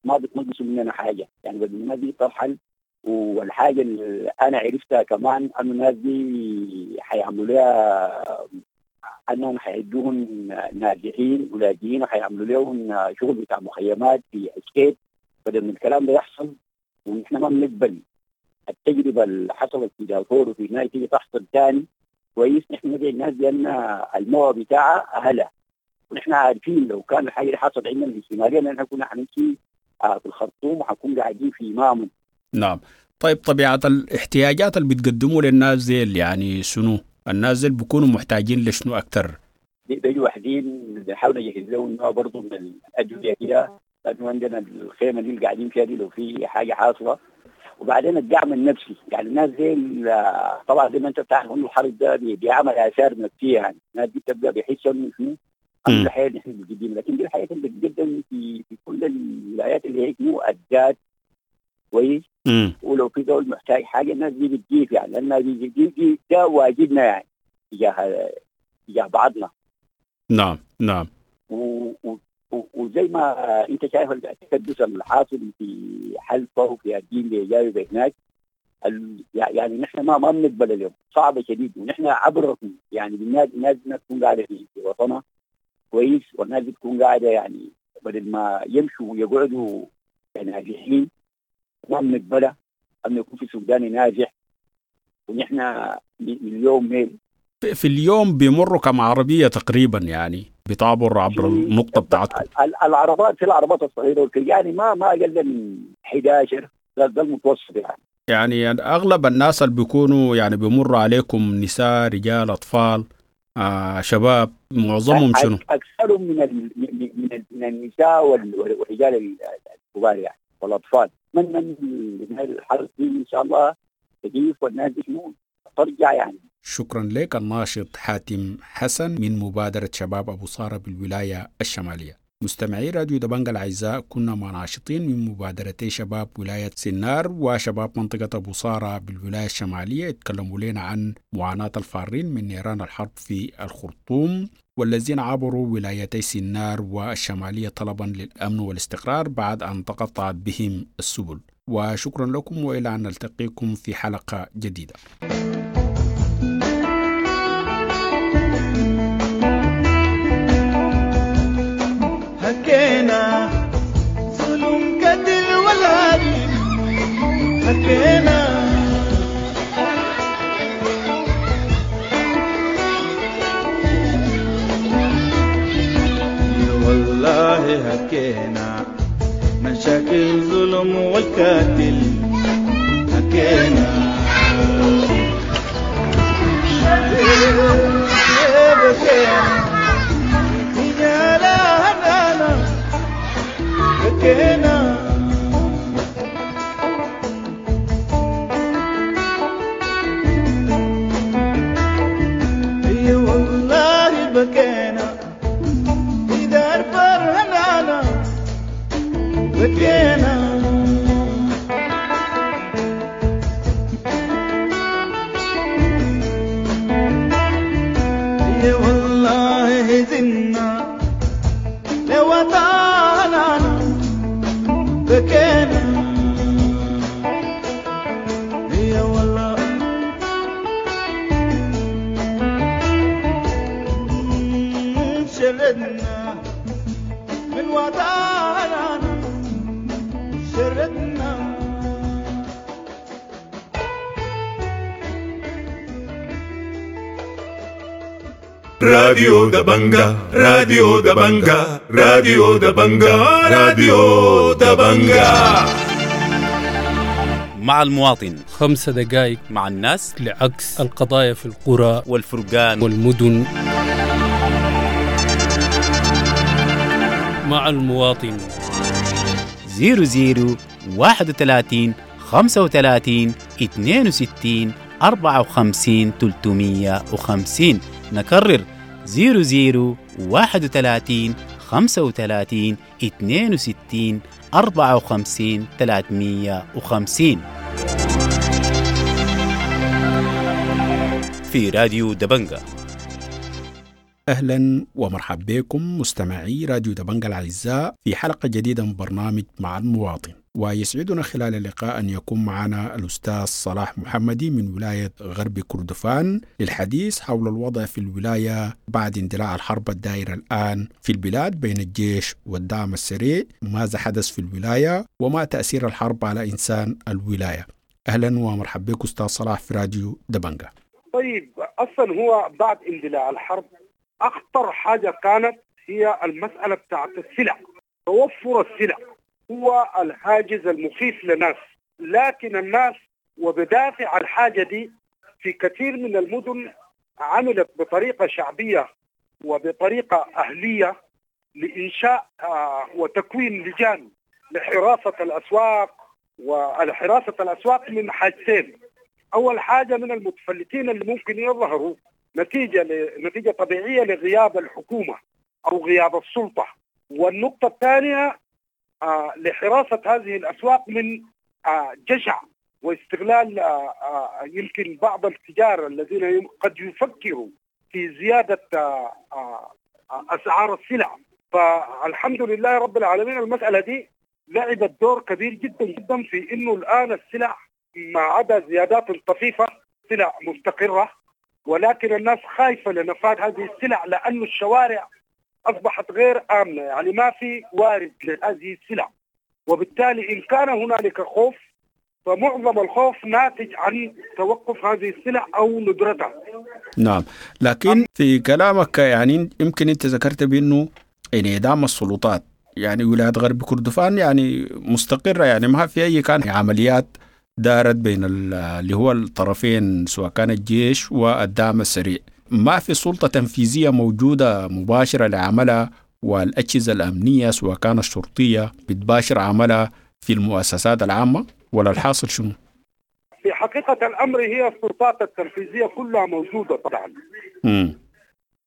ما بتنقصوا مننا حاجة. يعني بدل الناس دي ترحل، والحاجة اللي انا عرفتها كمان انه الناس دي حيعملوا لها انهم حيدوهم ناجحين ولاجئين وحيعملوا لهم شغل بتاع مخيمات في اسكيت. بدل من الكلام ده يحصل، ونحن ما بنقبل التجربة اللي حصلت في دارفور وفي هناك تيجي تحصل ثاني. كويس، نحن ندعي الناس بان الموضوع بتاعها اهلها، ونحن عارفين لو كان الحاجة اللي حصلت عندنا في الشمالية نحن كنا حنمشي في الخرطوم وحنكون قاعدين في مامون. نعم. طيب، طبيعة الاحتياجات اللي بتقدموا للناس ديل يعني شنو؟ الناس ديل بيكونوا محتاجين لشنو اكثر؟ بيجوا واحدين بنحاول نجهز لهم نوع برضه من الادوية كده، لانه عندنا الخيمة دي اللي قاعدين فيها دي لو في حاجة حاصله. وبعدين الدعم النفسي، يعني الناس زي طبعا زي ما انت بتعرف انه الحرب ده بيعمل اثار نفسية، يعني الناس دي بتبدا بيحسوا انه شنو الحياة اللي احنا بنقدمها، لكن دي الحياة اللي بتقدم في في كل الولايات اللي هي مؤدات كويس. ولو في دول محتاج حاجة الناس دي بتجيب، يعني لان دي دي ده واجبنا يعني تجاه تجاه بعضنا. نعم نعم. و وزي ما انت شايف التكدس الحاصل في حلفه وفي الدين اللي جاي هناك، يعني نحن ما ما بنقبل اليوم، صعبة شديد. ونحن عبركم يعني الناس الناس تكون قاعدة في وطنها كويس، والناس بتكون قاعدة يعني بدل ما يمشوا ويقعدوا ناجحين ما بنقبلها انه يكون في سوداني ناجح. ونحن مليون ميل في اليوم بيمروا كم عربية تقريبا يعني بتعبر عبر النقطة بتاعتكم؟ العربات في العربات الصغيرة يعني ما ما أقل من أحد عشر، ده المتوسط يعني. يعني أغلب الناس اللي بيكونوا يعني بيمروا عليكم نساء، رجال، أطفال؟ آه شباب، معظمهم شنو؟ اكثرهم من ال من ال من النساء والرجال الكبار يعني والاطفال. من من الحرب دي ان شاء الله تجيف والناس دي شنو ترجع يعني. شكرا لك الناشط حاتم حسن من مبادرة شباب أبو صارة بالولاية الشمالية. مستمعي راديو دبنجا الأعزاء، كنا مع ناشطين من مبادرتي شباب ولاية سنار وشباب منطقة أبو صارة بالولاية الشمالية، اتكلموا لنا عن معاناة الفارين من نيران الحرب في الخرطوم والذين عبروا ولايتي سنار والشمالية طلبا للأمن والاستقرار بعد أن تقطعت بهم السبل. وشكرا لكم، وإلى أن نلتقيكم في حلقة جديدة. حكينا ظلم قتل والهري، حكينا والله، حكينا مشاكل ظلم والقاتل، حكينا بكينا اي والله بكينا في دار فرهنانا بكينا. اي والله هزنا لوطانا بكينا يا والله شردنا من وطننا شردنا. راديو دبنجا، راديو دبنجا، راديو دبنجا، راديو دبنجا. مع المواطن خمسة دقائق مع الناس لعكس القضايا في القرى والفرقان والمدن. مع المواطن زيرو زيرو واحد وثلاثين خمسة وثلاثين اثنين وستين أربعة وخمسين ثلاثمية وخمسين. نكرر زيرو زيرو واحد وثلاثين خمسة وثلاثين اثنين وستين أربعة وخمسين ثلاثمية وخمسين في راديو دبنجا. أهلا ومرحبا بكم مستمعي راديو دبنجا الأعزاء في حلقة جديدة من برنامج مع المواطن، ويسعدنا خلال اللقاء أن يكون معنا الأستاذ صلاح محمدي من ولاية غرب كردفان للحديث حول الوضع في الولاية بعد اندلاع الحرب الدائرة الآن في البلاد بين الجيش والدعم السريع، ماذا حدث في الولاية وما تأثير الحرب على إنسان الولاية. أهلا ومرحبا بك أستاذ صلاح في راديو دبنجا. طيب، أصلا هو بعد اندلاع الحرب أخطر حاجة كانت هي المسألة بتاعت السلع، توفر السلع هو الحاجز المخيف للناس، لكن الناس وبدافع الحاجة دي في كثير من المدن عملت بطريقة شعبية وبطريقة أهلية لإنشاء وتكوين لجان لحراسة الأسواق، وحراسة الأسواق من حاجتين. أول حاجة من المتفلتين اللي ممكن يظهروا نتيجة نتيجة طبيعية لغياب الحكومة أو غياب السلطة، والنقطة الثانية آه لحراسة هذه الأسواق من آه جشع واستغلال آه آه يمكن بعض التجار الذين قد يفكروا في زيادة آه آه أسعار السلع. فالحمد لله رب العالمين المسألة دي لعبت دور كبير جدا جدا في إنه الآن السلع ما عدا زيادات طفيفة سلع مستقرة، ولكن الناس خايفة لنفاذ هذه السلع لأن الشوارع أصبحت غير آمنة، يعني ما في وارد لهذه السلع، وبالتالي إن كان هنالك خوف فمعظم الخوف ناتج عن توقف هذه السلع أو ندرتها. نعم، لكن في كلامك يعني يمكن أنت ذكرت بأنه انعدام السلطات، يعني ولاية غرب كردفان يعني مستقرة، يعني ما في أي كان عمليات دارت بين اللي هو الطرفين سواء كان الجيش والدعم السريع. ما في سلطة تنفيذية موجودة مباشرة لعملها، والأجهزة الأمنية سواء كانت الشرطية بتباشر عملها في المؤسسات العامة، ولا الحاصل شنو؟ في حقيقة الأمر هي السلطات التنفيذية كلها موجودة طبعا، م.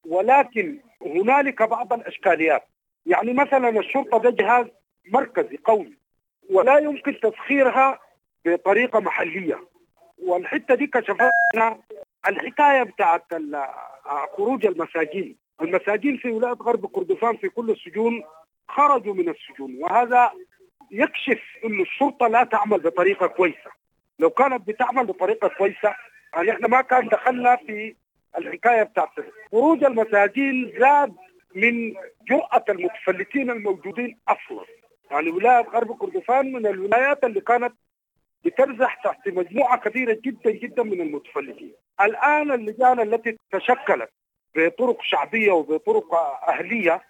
ولكن هنالك بعض الأشكاليات. يعني مثلا الشرطة ده جهاز مركزي قوي ولا يمكن تسخيرها بطريقة محلية، والحتة دي كشفتنا الحكاية بتاعت خروج المساجين. المساجين في ولاية غرب كردفان في كل السجون خرجوا من السجون، وهذا يكشف أن الشرطة لا تعمل بطريقة كويسة. لو كانت بتعمل بطريقة كويسة يعني احنا ما كان دخلنا في الحكاية بتاعت خروج المساجين. زاد من جرأة المتفلتين الموجودين أصلا. يعني ولاية غرب كردفان من الولايات اللي كانت بترزح تحت مجموعة كبيرة جدا جدا من المتفلتين. الآن اللجان التي تشكلت بطرق شعبية وبطرق أهلية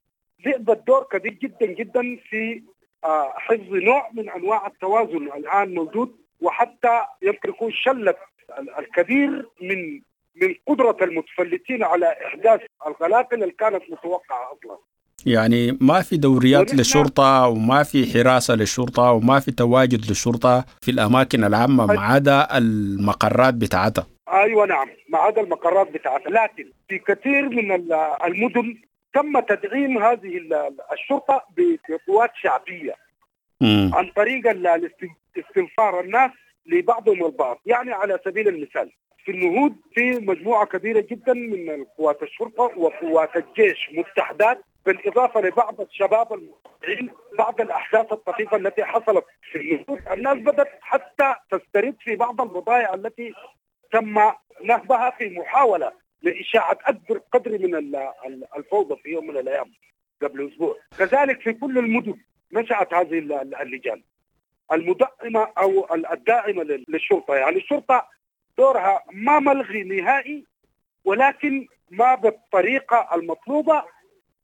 لعبت دور كبير جدا جدا في حفظ نوع من أنواع التوازن الآن موجود، وحتى يمكن يكون شلت الكبير من من قدرة المتفلتين على إحداث القلاقل اللي كانت متوقعة أصلا. يعني ما في دوريات للشرطة وما في حراسة للشرطة وما في تواجد للشرطة في الأماكن العامة ما عدا المقرات بتاعتها. أيوة نعم، ما عدا المقرات بتاعتها، لكن في كثير من المدن تم تدعيم هذه الشرطة بقوات شعبية م. عن طريق استنفار الناس لبعضهم البعض. يعني على سبيل المثال في النهود في مجموعة كبيرة جدا من قوات الشرطة وقوات الجيش متحدات، بالإضافة لبعض الشباب المتطوعين. بعض الأحداث الطفيفة التي حصلت في النهود الناس بدأت حتى تسترد في بعض البضائع التي تم نهبها في محاولة لإشاعة أكبر قدر من الفوضى في يوم من الأيام قبل أسبوع. كذلك في كل المدن نشأت هذه اللجان المدعمة أو الداعمة للشرطة. يعني الشرطة دورها ما ملغي نهائي، ولكن ما بالطريقة المطلوبة،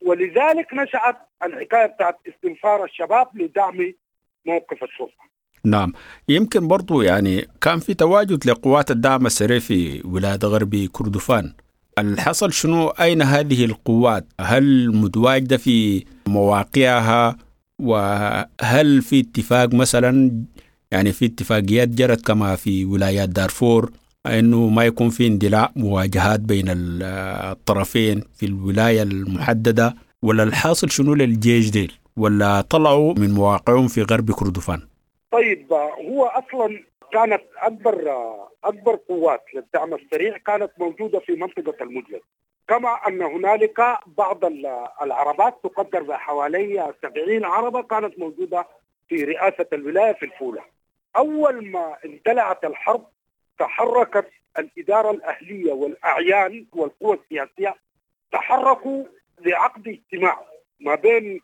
ولذلك نشأت الحكاية بتاعت استنفار الشباب لدعم موقف الشرطة. نعم، يمكن برضو يعني كان في تواجد لقوات الدعم السريع في ولاية غرب كردفان. الحصل شنو؟ أين هذه القوات؟ هل متواجدة في مواقعها؟ وهل في اتفاق مثلا، يعني في اتفاقيات جرت كما في ولايات دارفور أنه ما يكون في اندلاع مواجهات بين الطرفين في الولاية المحددة، ولا الحاصل شنو للجيش ديل، ولا طلعوا من مواقعهم في غرب كردفان؟ طيب، هو أصلا كانت أكبر أكبر قوات للدعم السريع كانت موجودة في منطقة المجلس، كما أن هنالك بعض العربات تقدر بحوالي سبعين عربة كانت موجودة في رئاسة الولاية في الفولة. أول ما اندلعت الحرب تحركت الإدارة الأهلية والأعيان والقوى السياسية، تحركوا لعقد اجتماع ما بين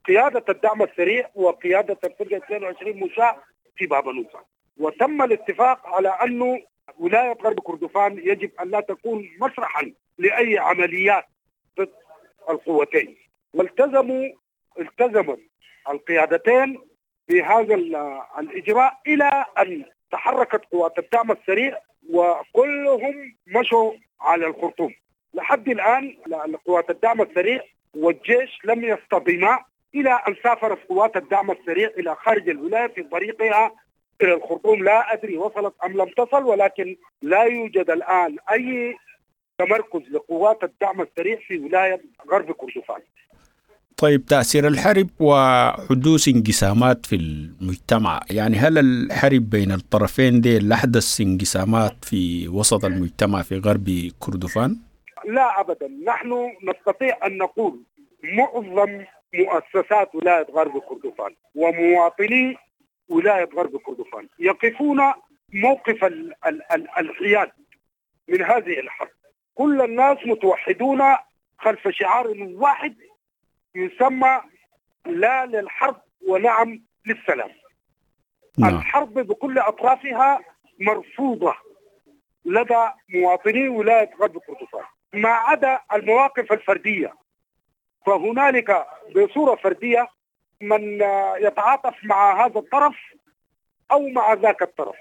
قيادة الدعم السريع وقيادة الفرقة اثنين وعشرين مشاة في بابنوسة، وتم الاتفاق على أنه ولاية غرب كردفان يجب أن لا تكون مسرحا لأي عمليات ضد القوتين، والتزموا التزمت القيادتين بهذا الإجراء إلى أن تحركت قوات الدعم السريع وكلهم مشوا على الخرطوم. لحد الآن قوات الدعم السريع والجيش لم يصطدما إلى أن سافرت قوات الدعم السريع إلى خارج الولاية في طريقها إلى الخرطوم. لا أدري وصلت أم لم تصل، ولكن لا يوجد الآن أي تمركز لقوات الدعم السريع في ولاية غرب كردفان. طيب، تأثير الحرب وحدوث انقسامات في المجتمع، يعني هل الحرب بين الطرفين دي لحدث انقسامات في وسط المجتمع في غرب كردفان؟ لا أبدا، نحن نستطيع أن نقول معظم مؤسسات ولاية غرب كردفان ومواطني ولاية غرب كردفان يقفون موقف الحياد من هذه الحرب. كل الناس متوحدون خلف شعار واحد يسمى لا للحرب ونعم للسلام. نعم. الحرب بكل أطرافها مرفوضة لدى مواطني ولاية غرب كردفان، ما عدا المواقف الفردية، فهنالك بصورة فردية من يتعاطف مع هذا الطرف أو مع ذاك الطرف.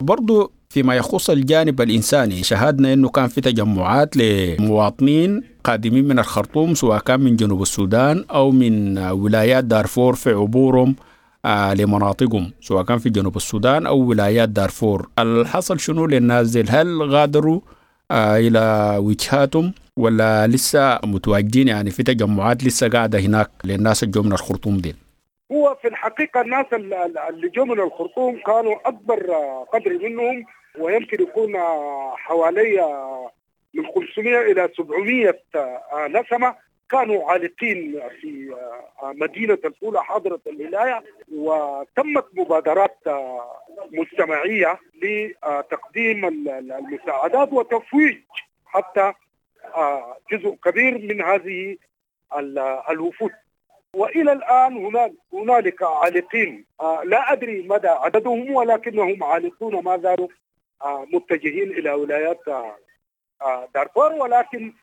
برضو فيما يخص الجانب الإنساني، شاهدنا أنه كان في تجمعات لمواطنين قادمين من الخرطوم، سواء كان من جنوب السودان أو من ولايات دارفور، في عبورهم آه لمناطقهم سواء كان في جنوب السودان أو ولايات دارفور. الحصل شنو للناس ديل؟ هل غادروا آه إلى وجهاتهم ولا لسه متواجدين؟ يعني في تجمعات لسه قاعدة هناك للناس اللي جو من الخرطوم ديل؟ هو في الحقيقة الناس اللي جو من الخرطوم كانوا أكبر قدر منهم، ويمكن يكون حوالي من خمسمائة إلى سبعمائة نسمة كانوا عالقين في مدينة الفولة حاضرة الولاية، وتمت مبادرات مجتمعية لتقديم المساعدات وتفويج حتى جزء كبير من هذه الوفود. وإلى الآن هناك هنالك عالقين، لا أدري مدى عددهم، ولكنهم عالقون ما زالوا متجهين إلى ولايات دارفور. ولكن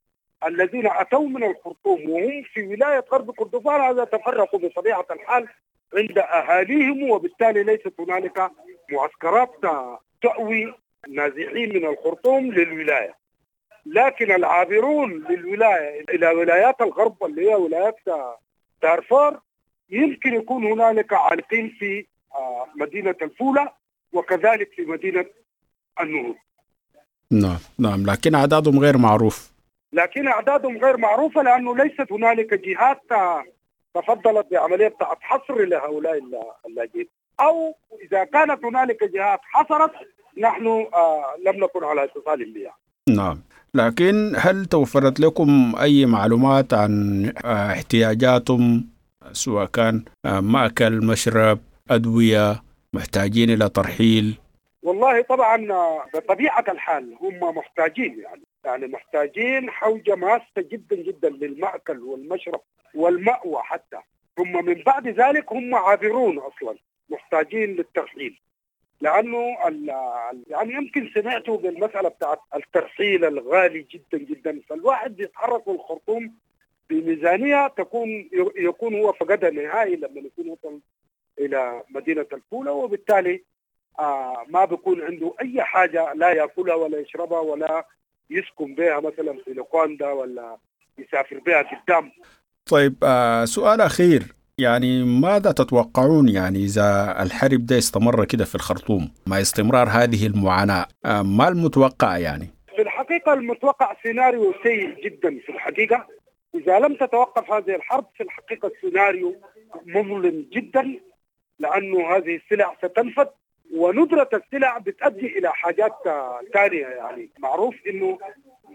الذين أتوا من الخرطوم وهم في ولاية غرب كردفان هذا تفرقوا بطبيعة الحال عند أهاليهم، وبالتالي ليست هنالك معسكرات تأوي نازحين من الخرطوم للولاية. لكن العابرون للولاية إلى ولايات الغرب اللي هي ولايات دارفور يمكن يكون هنالك عالقين في مدينة الفولة وكذلك في مدينة النهود. نعم نعم، لكن أعدادهم غير معروف. لكن أعدادهم غير معروفة لأنه ليست هنالك جهات تفضلت بعملية حصر لهؤلاء اللاجئين، أو إذا كانت هنالك جهات حصرت نحن لم نكن على اتصال بها. نعم، لكن هل توفرت لكم أي معلومات عن احتياجاتهم، سواء كان مأكل، مشرب، أدوية، محتاجين إلى ترحيل؟ والله طبعا بطبيعة الحال هم محتاجين، يعني يعني محتاجين حوجة ماسة جدا جدا للمأكل والمشرب والمأوى حتى. ثم من بعد ذلك هم عابرون أصلا محتاجين للترحيل، لأنه يعني يمكن سمعتوا بالمسألة بتاعت الترحيل الغالي جدا جدا، فالواحد بيتحرك الخرطوم بميزانية تكون يكون هو فقدها نهائي لما يكون وصل إلى مدينة الفولة، وبالتالي آه ما بيكون عنده أي حاجة لا يأكلها ولا يشربها ولا يسكن بها مثلا في لوكاندا ولا يسافر بها قدام. طيب آه سؤال أخير، يعني ماذا تتوقعون يعني إذا الحرب ده استمر كده في الخرطوم مع استمرار هذه المعاناة، آه ما المتوقع؟ يعني في الحقيقة المتوقع سيناريو سيء جدا في الحقيقة. إذا لم تتوقف هذه الحرب في الحقيقة السيناريو مظلم جدا، لأنه هذه السلع ستنفد، وندرة السلع بتؤدي إلى حاجات ثانية. يعني معروف إنه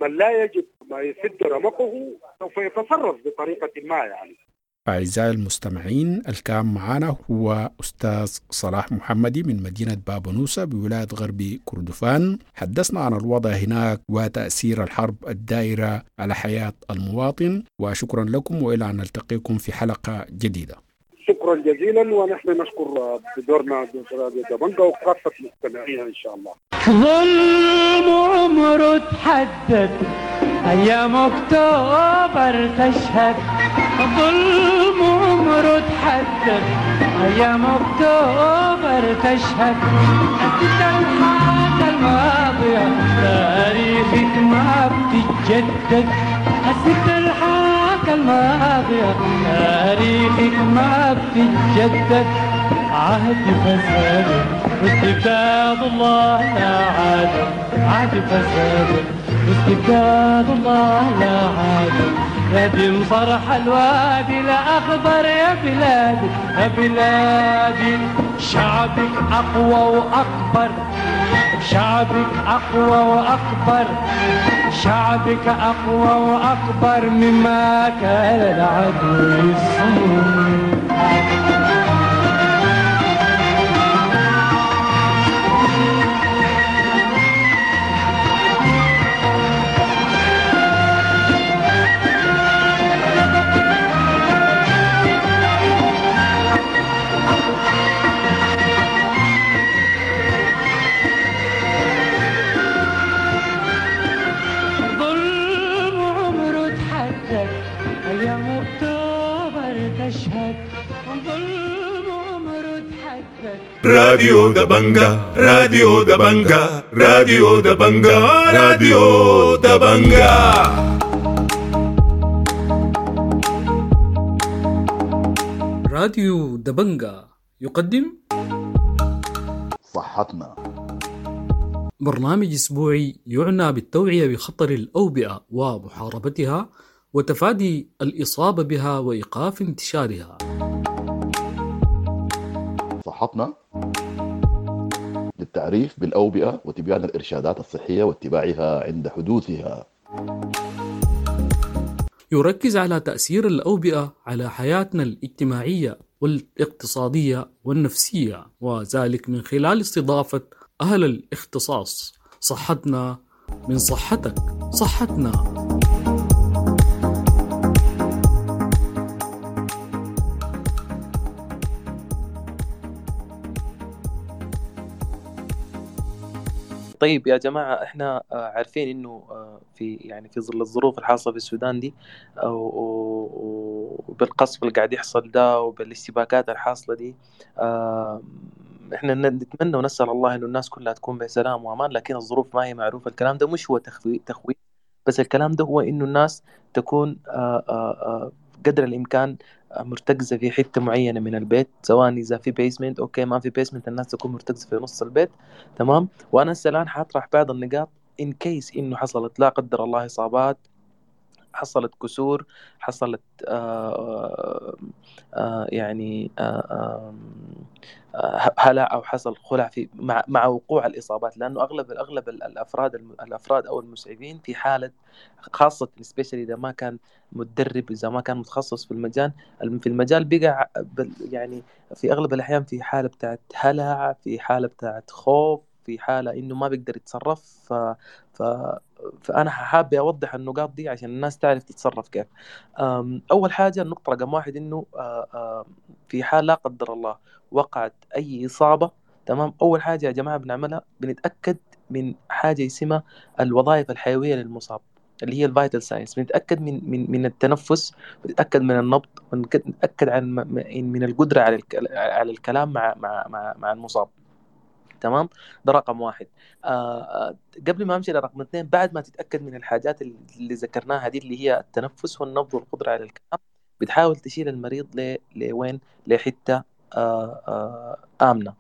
من لا يجد ما يسد رمقه سوف يتصرف بطريقة ما. يعني أعزائي المستمعين، الكام معنا هو أستاذ صلاح محمدي من مدينة بابنوسة بولاية غرب كردفان. حدثنا عن الوضع هناك وتأثير الحرب الدائرة على حياة المواطن، وشكرا لكم وإلى أن نلتقيكم في حلقة جديدة. شكرا جزيلا، ونحن نشكر بدورنا دبنجا وكافة مستمعيها إن شاء الله. ظلم عمره تحدد، أيام أكتوبر تشهد. ظلم عمره تحدد، أيام أكتوبر تشهد. أنت الحاجة الماضية تاريخك ما بتتجدد. حسيت الحاجة الماضية تاريخك ما بتتجدد. عهد فساد واستبداد الله لا عاد، عهد فساد واستبداد الله لا عاد. ندم صرح الوادي الأخضر يا بلادي يا بلادي. شعبك أقوى وأكبر، شعبك أقوى وأكبر، شعبك أقوى وأكبر مما كان العدو يصور. أيام أكتوبر تشهد. ظلم راديو دبنجا، راديو دبنجا، راديو دبنجا، راديو دبنجا. راديو دبنجا يقدم صحتنا، برنامج أسبوعي يعنى بالتوعية بخطر الأوبئة ومحاربتها وتفادي الإصابة بها وإيقاف انتشارها. صحتنا للتعريف بالأوبئة وتبيان الإرشادات الصحية واتباعها عند حدوثها. يركز على تأثير الأوبئة على حياتنا الاجتماعية والاقتصادية والنفسية، وذلك من خلال استضافة أهل الاختصاص. صحتنا من صحتك، صحتنا. طيب يا جماعة، احنا عارفين انه في يعني في ظل الظروف الحاصلة في السودان دي وبالقصف اللي قاعد يحصل ده وبالاشتباكات الحاصلة دي، احنا نتمنى ونسأل الله انه الناس كلها تكون بسلام وامان، لكن الظروف ما هي معروفة. الكلام ده مش هو تخويف تخويف بس الكلام ده هو انه الناس تكون قدر الامكان مرتكزة في حتة معينة من البيت، سواء إذا في basement okay، ما في basement الناس تكون مرتكزة في نص البيت، تمام. وأنا هسه الآن حاطرح بعض النقاط in case إنه حصلت لا قدر الله إصابات، حصلت كسور، حصلت آآ آآ يعني آآ هلع أو حصل خلع في مع مع وقوع الإصابات، لأنه أغلب الأغلب الأفراد الأفراد أو المسعفين في حالة خاصة especially إذا ما كان متدرب، إذا ما كان متخصص في المجال في المجال بقى يعني في أغلب الأحيان في حالة بتاعت هلع، في حالة بتاعت خوف، في حالة إنه ما بيقدر يتصرف. ف... ف... فأنا حابة أوضح النقاط دي عشان الناس تعرف تتصرف كيف. أول حاجة النقطة رقم واحد إنه في حال لا قدر الله وقعت أي إصابة، تمام، أول حاجة يا جماعة بنعملها بنتأكد من حاجة اسمها الوظائف الحيوية للمصاب اللي هي ال vital signs. بنتأكد من من من التنفس، بنتأكد من النبض، بنتأكد عن من القدرة على على الكلام مع مع مع, مع المصاب، تمام. ده رقم واحد. آه قبل ما امشي لرقم اثنين، بعد ما تتاكد من الحاجات اللي ذكرناها دي اللي هي التنفس والنبض والقدرة على الكلام، بتحاول تشيل المريض ل... لوين؟ لحته آه آه امنه،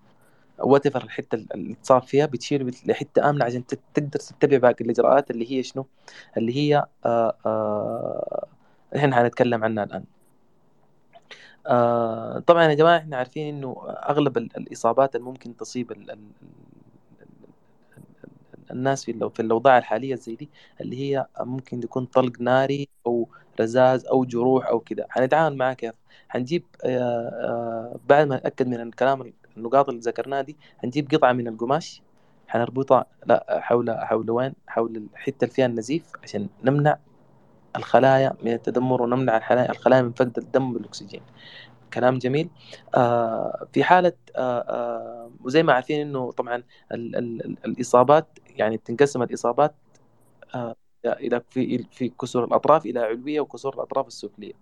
whatever الحتة اللي اتصاب فيها بتشيله لحته امنه عشان تقدر تتبع باقي الاجراءات اللي هي شنو؟ اللي هي آه آه احنا هنتكلم عنها الان. آه طبعا يا جماعة احنا عارفين انه اغلب الاصابات اللي ممكن تصيب ال ال ال الناس في في الاوضاع الحالية زي دي اللي هي ممكن يكون طلق ناري او رذاذ او جروح او كده. هنتعامل معاه كيف؟ هنجيب آه آه بعد ما نتاكد من الكلام النقاط اللي ذكرناها دي، هنجيب قطعه من القماش هنربطها لا حول حول وين؟ حول الحتة اللي فيها النزيف عشان نمنع الخلايا من التدمر ونمنع الخلايا من فقد الدم بالاكسجين. كلام جميل. آه في حالة آه آه وزي ما عارفين إنه طبعا ال ال الإصابات يعني بتنقسم الإصابات آه إلى في في كسور الأطراف إلى علوية وكسور الأطراف السفلية،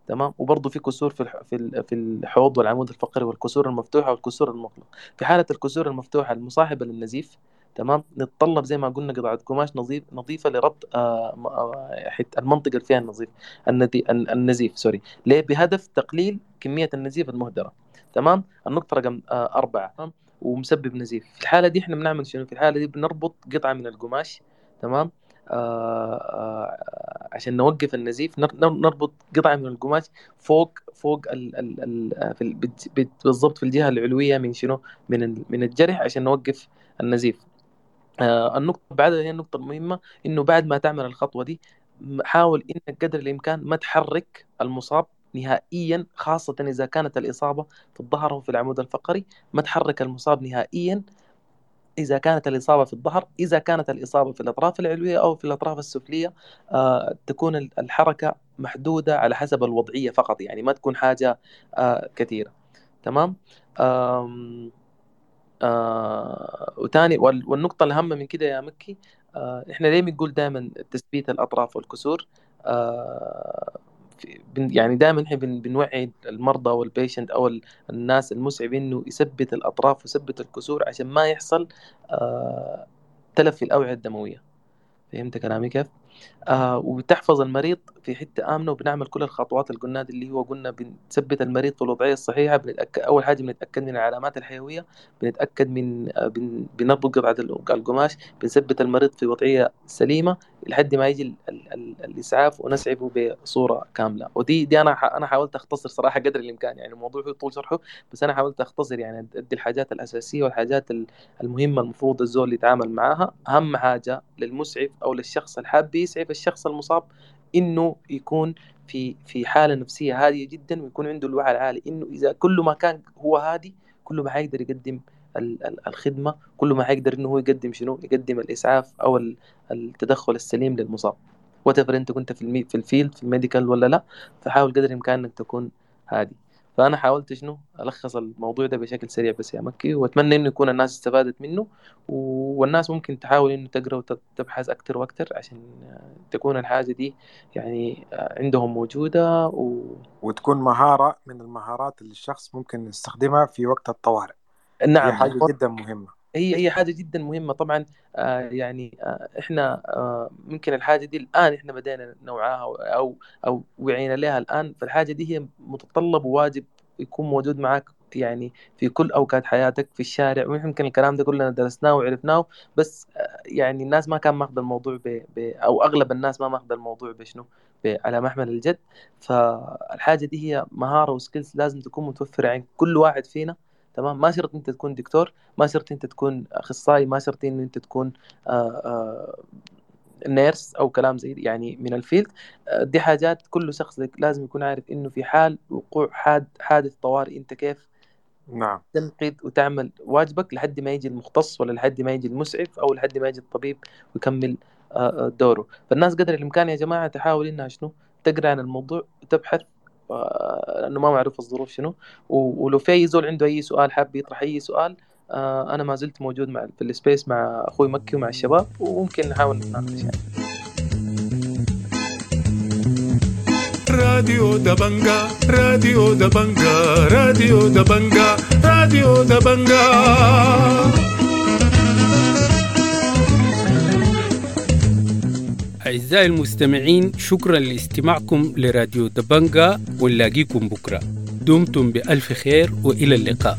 تمام. وبرضه في كسور في في في الحوض والعمود الفقري والكسور المفتوحة والكسور المغلقة. في حالة الكسور المفتوحة المصاحبة للنزيف، تمام، نتطلب زي ما قلنا قطعة قماش نظيف نظيفة لربط آه المنطقة اللي فيها النظيف النزيف سوري، ليه؟ بهدف تقليل كمية النزيف المهدرة، تمام. النقطة رقم آه أربعة، ومسبب نزيف. في الحالة دي احنا بنعمل شنو؟ في الحالة دي بنربط قطعة من القماش، تمام، آه آه عشان نوقف النزيف. نربط قطعة من القماش فوق فوق ال ال ال في بالضبط في الجهة العلوية من شنو؟ من من الجرح عشان نوقف النزيف. آه النقطة بعدها هي النقطة المهمة، إنه بعد ما تعمل الخطوة دي حاول إنك قدر الإمكان ما تحرك المصاب نهائيا، خاصة إذا كانت الإصابة في الظهر أو في العمود الفقري. ما تحرك المصاب نهائيا إذا كانت الإصابة في الظهر. إذا كانت الإصابة في الأطراف العلوية أو في الأطراف السفلية آه تكون الحركة محدودة على حسب الوضعية فقط، يعني ما تكون حاجة آه كثيرة، تمام. آم آه وتاني والنقطة الأهم من كده يا مكي، آه إحنا ليه بنقول دائما تثبيت الأطراف والكسور آه يعني دائما احنا بنوعي المرضى وال patient او الناس المسعف انه يثبت الاطراف ويثبت الكسور عشان ما يحصل آه تلف في الاوعية الدموية. فهمت كلامي كيف؟ آه وبتحفظ المريض في حتة امنه، وبنعمل كل الخطوات اللي قلناها اللي هو قلنا بنثبت المريض في الوضعية الصحيحة، بنتاكد اول حاجة بنتاكد من العلامات الحيوية، بنتاكد من آه بن... بنربط قطعه القماش، بنثبت المريض في وضعية سليمة لحد ما يجي ال... ال... ال... الاسعاف ونسعفه بصورة كاملة. ودي دي انا ح... انا حاولت اختصر صراحة قدر الامكان، يعني الموضوع هو طول شرحه، بس انا حاولت اختصر يعني ادي الحاجات الاساسية والحاجات المهمة المفروض الزول يتعامل معاها. اهم حاجة للمسعف او للشخص الحاب يسعف الشخص المصاب انه يكون في في حاله نفسية هادية جدا، ويكون عنده الوعي العالي انه اذا كل ما كان هو هادي كل ما حيقدر يقدم الخدمة، كل ما حيقدر انه هو يقدم شنو، يقدم الاسعاف او التدخل السليم للمصاب. whatever انت كنت في المي في ال field في ال medical ولا لا، فحاول قدر الامكان انك تكون هادي. فانا حاولت شنو الخص الموضوع ده بشكل سريع بس يا مكي، واتمنى انه يكون الناس استفادت منه، والناس ممكن تحاول انه تقرا وتبحث اكثر واكثر عشان تكون الحاجة دي يعني عندهم موجودة و... وتكون مهارة من المهارات اللي الشخص ممكن يستخدمها في وقت الطوارئ. نعم، هي حاجة جدا مهمة، هي هي حاجة جدا مهمة طبعا. آه يعني آه احنا آه ممكن الحاجة دي الان احنا بدينا نوعاها او او وعينا لها الان، فالحاجه دي هي متطلب وواجب يكون موجود معك يعني في كل اوقات حياتك في الشارع. ويمكن الكلام ده كلنا درسناه وعرفناه، بس يعني الناس ما كان ماخذ الموضوع ب... ب... او اغلب الناس ما ماخذ الموضوع بشنو ب... على محمل الجد. فالحاجه دي هي مهارة و skills لازم تكون متوفرة عند كل واحد فينا. تمام، ما شرط انت تكون دكتور، ما شرط انت تكون اخصائي، ما شرط ان انت تكون آآ آآ nurse او كلام زي يعني من ال field. دي حاجات كل شخص لازم يكون عارف انه في حال وقوع حاد حادث طوارئ انت كيف نعم تنقذ وتعمل واجبك لحد ما يجي المختص ولا لحد ما يجي المسعف او لحد ما يجي الطبيب ويكمل دوره. فالناس قدر الامكان يا جماعة تحاول انها شنو تقرا عن الموضوع وتبحث، لانه ما معروف الظروف شنو. ولو في اي زول عنده اي سؤال حاب يطرح اي سؤال، انا ما زلت موجود مع في ال space مع اخوي مكي ومع الشباب، وممكن نحاول نتناقش يعني. راديو دبنجا، راديو دبنجا، راديو دبنجا، راديو دبنجا. أعزائي المستمعين، شكرا لاستماعكم لراديو دبنجا، ونلاقيكم بكرة. دمتم بألف خير وإلى اللقاء.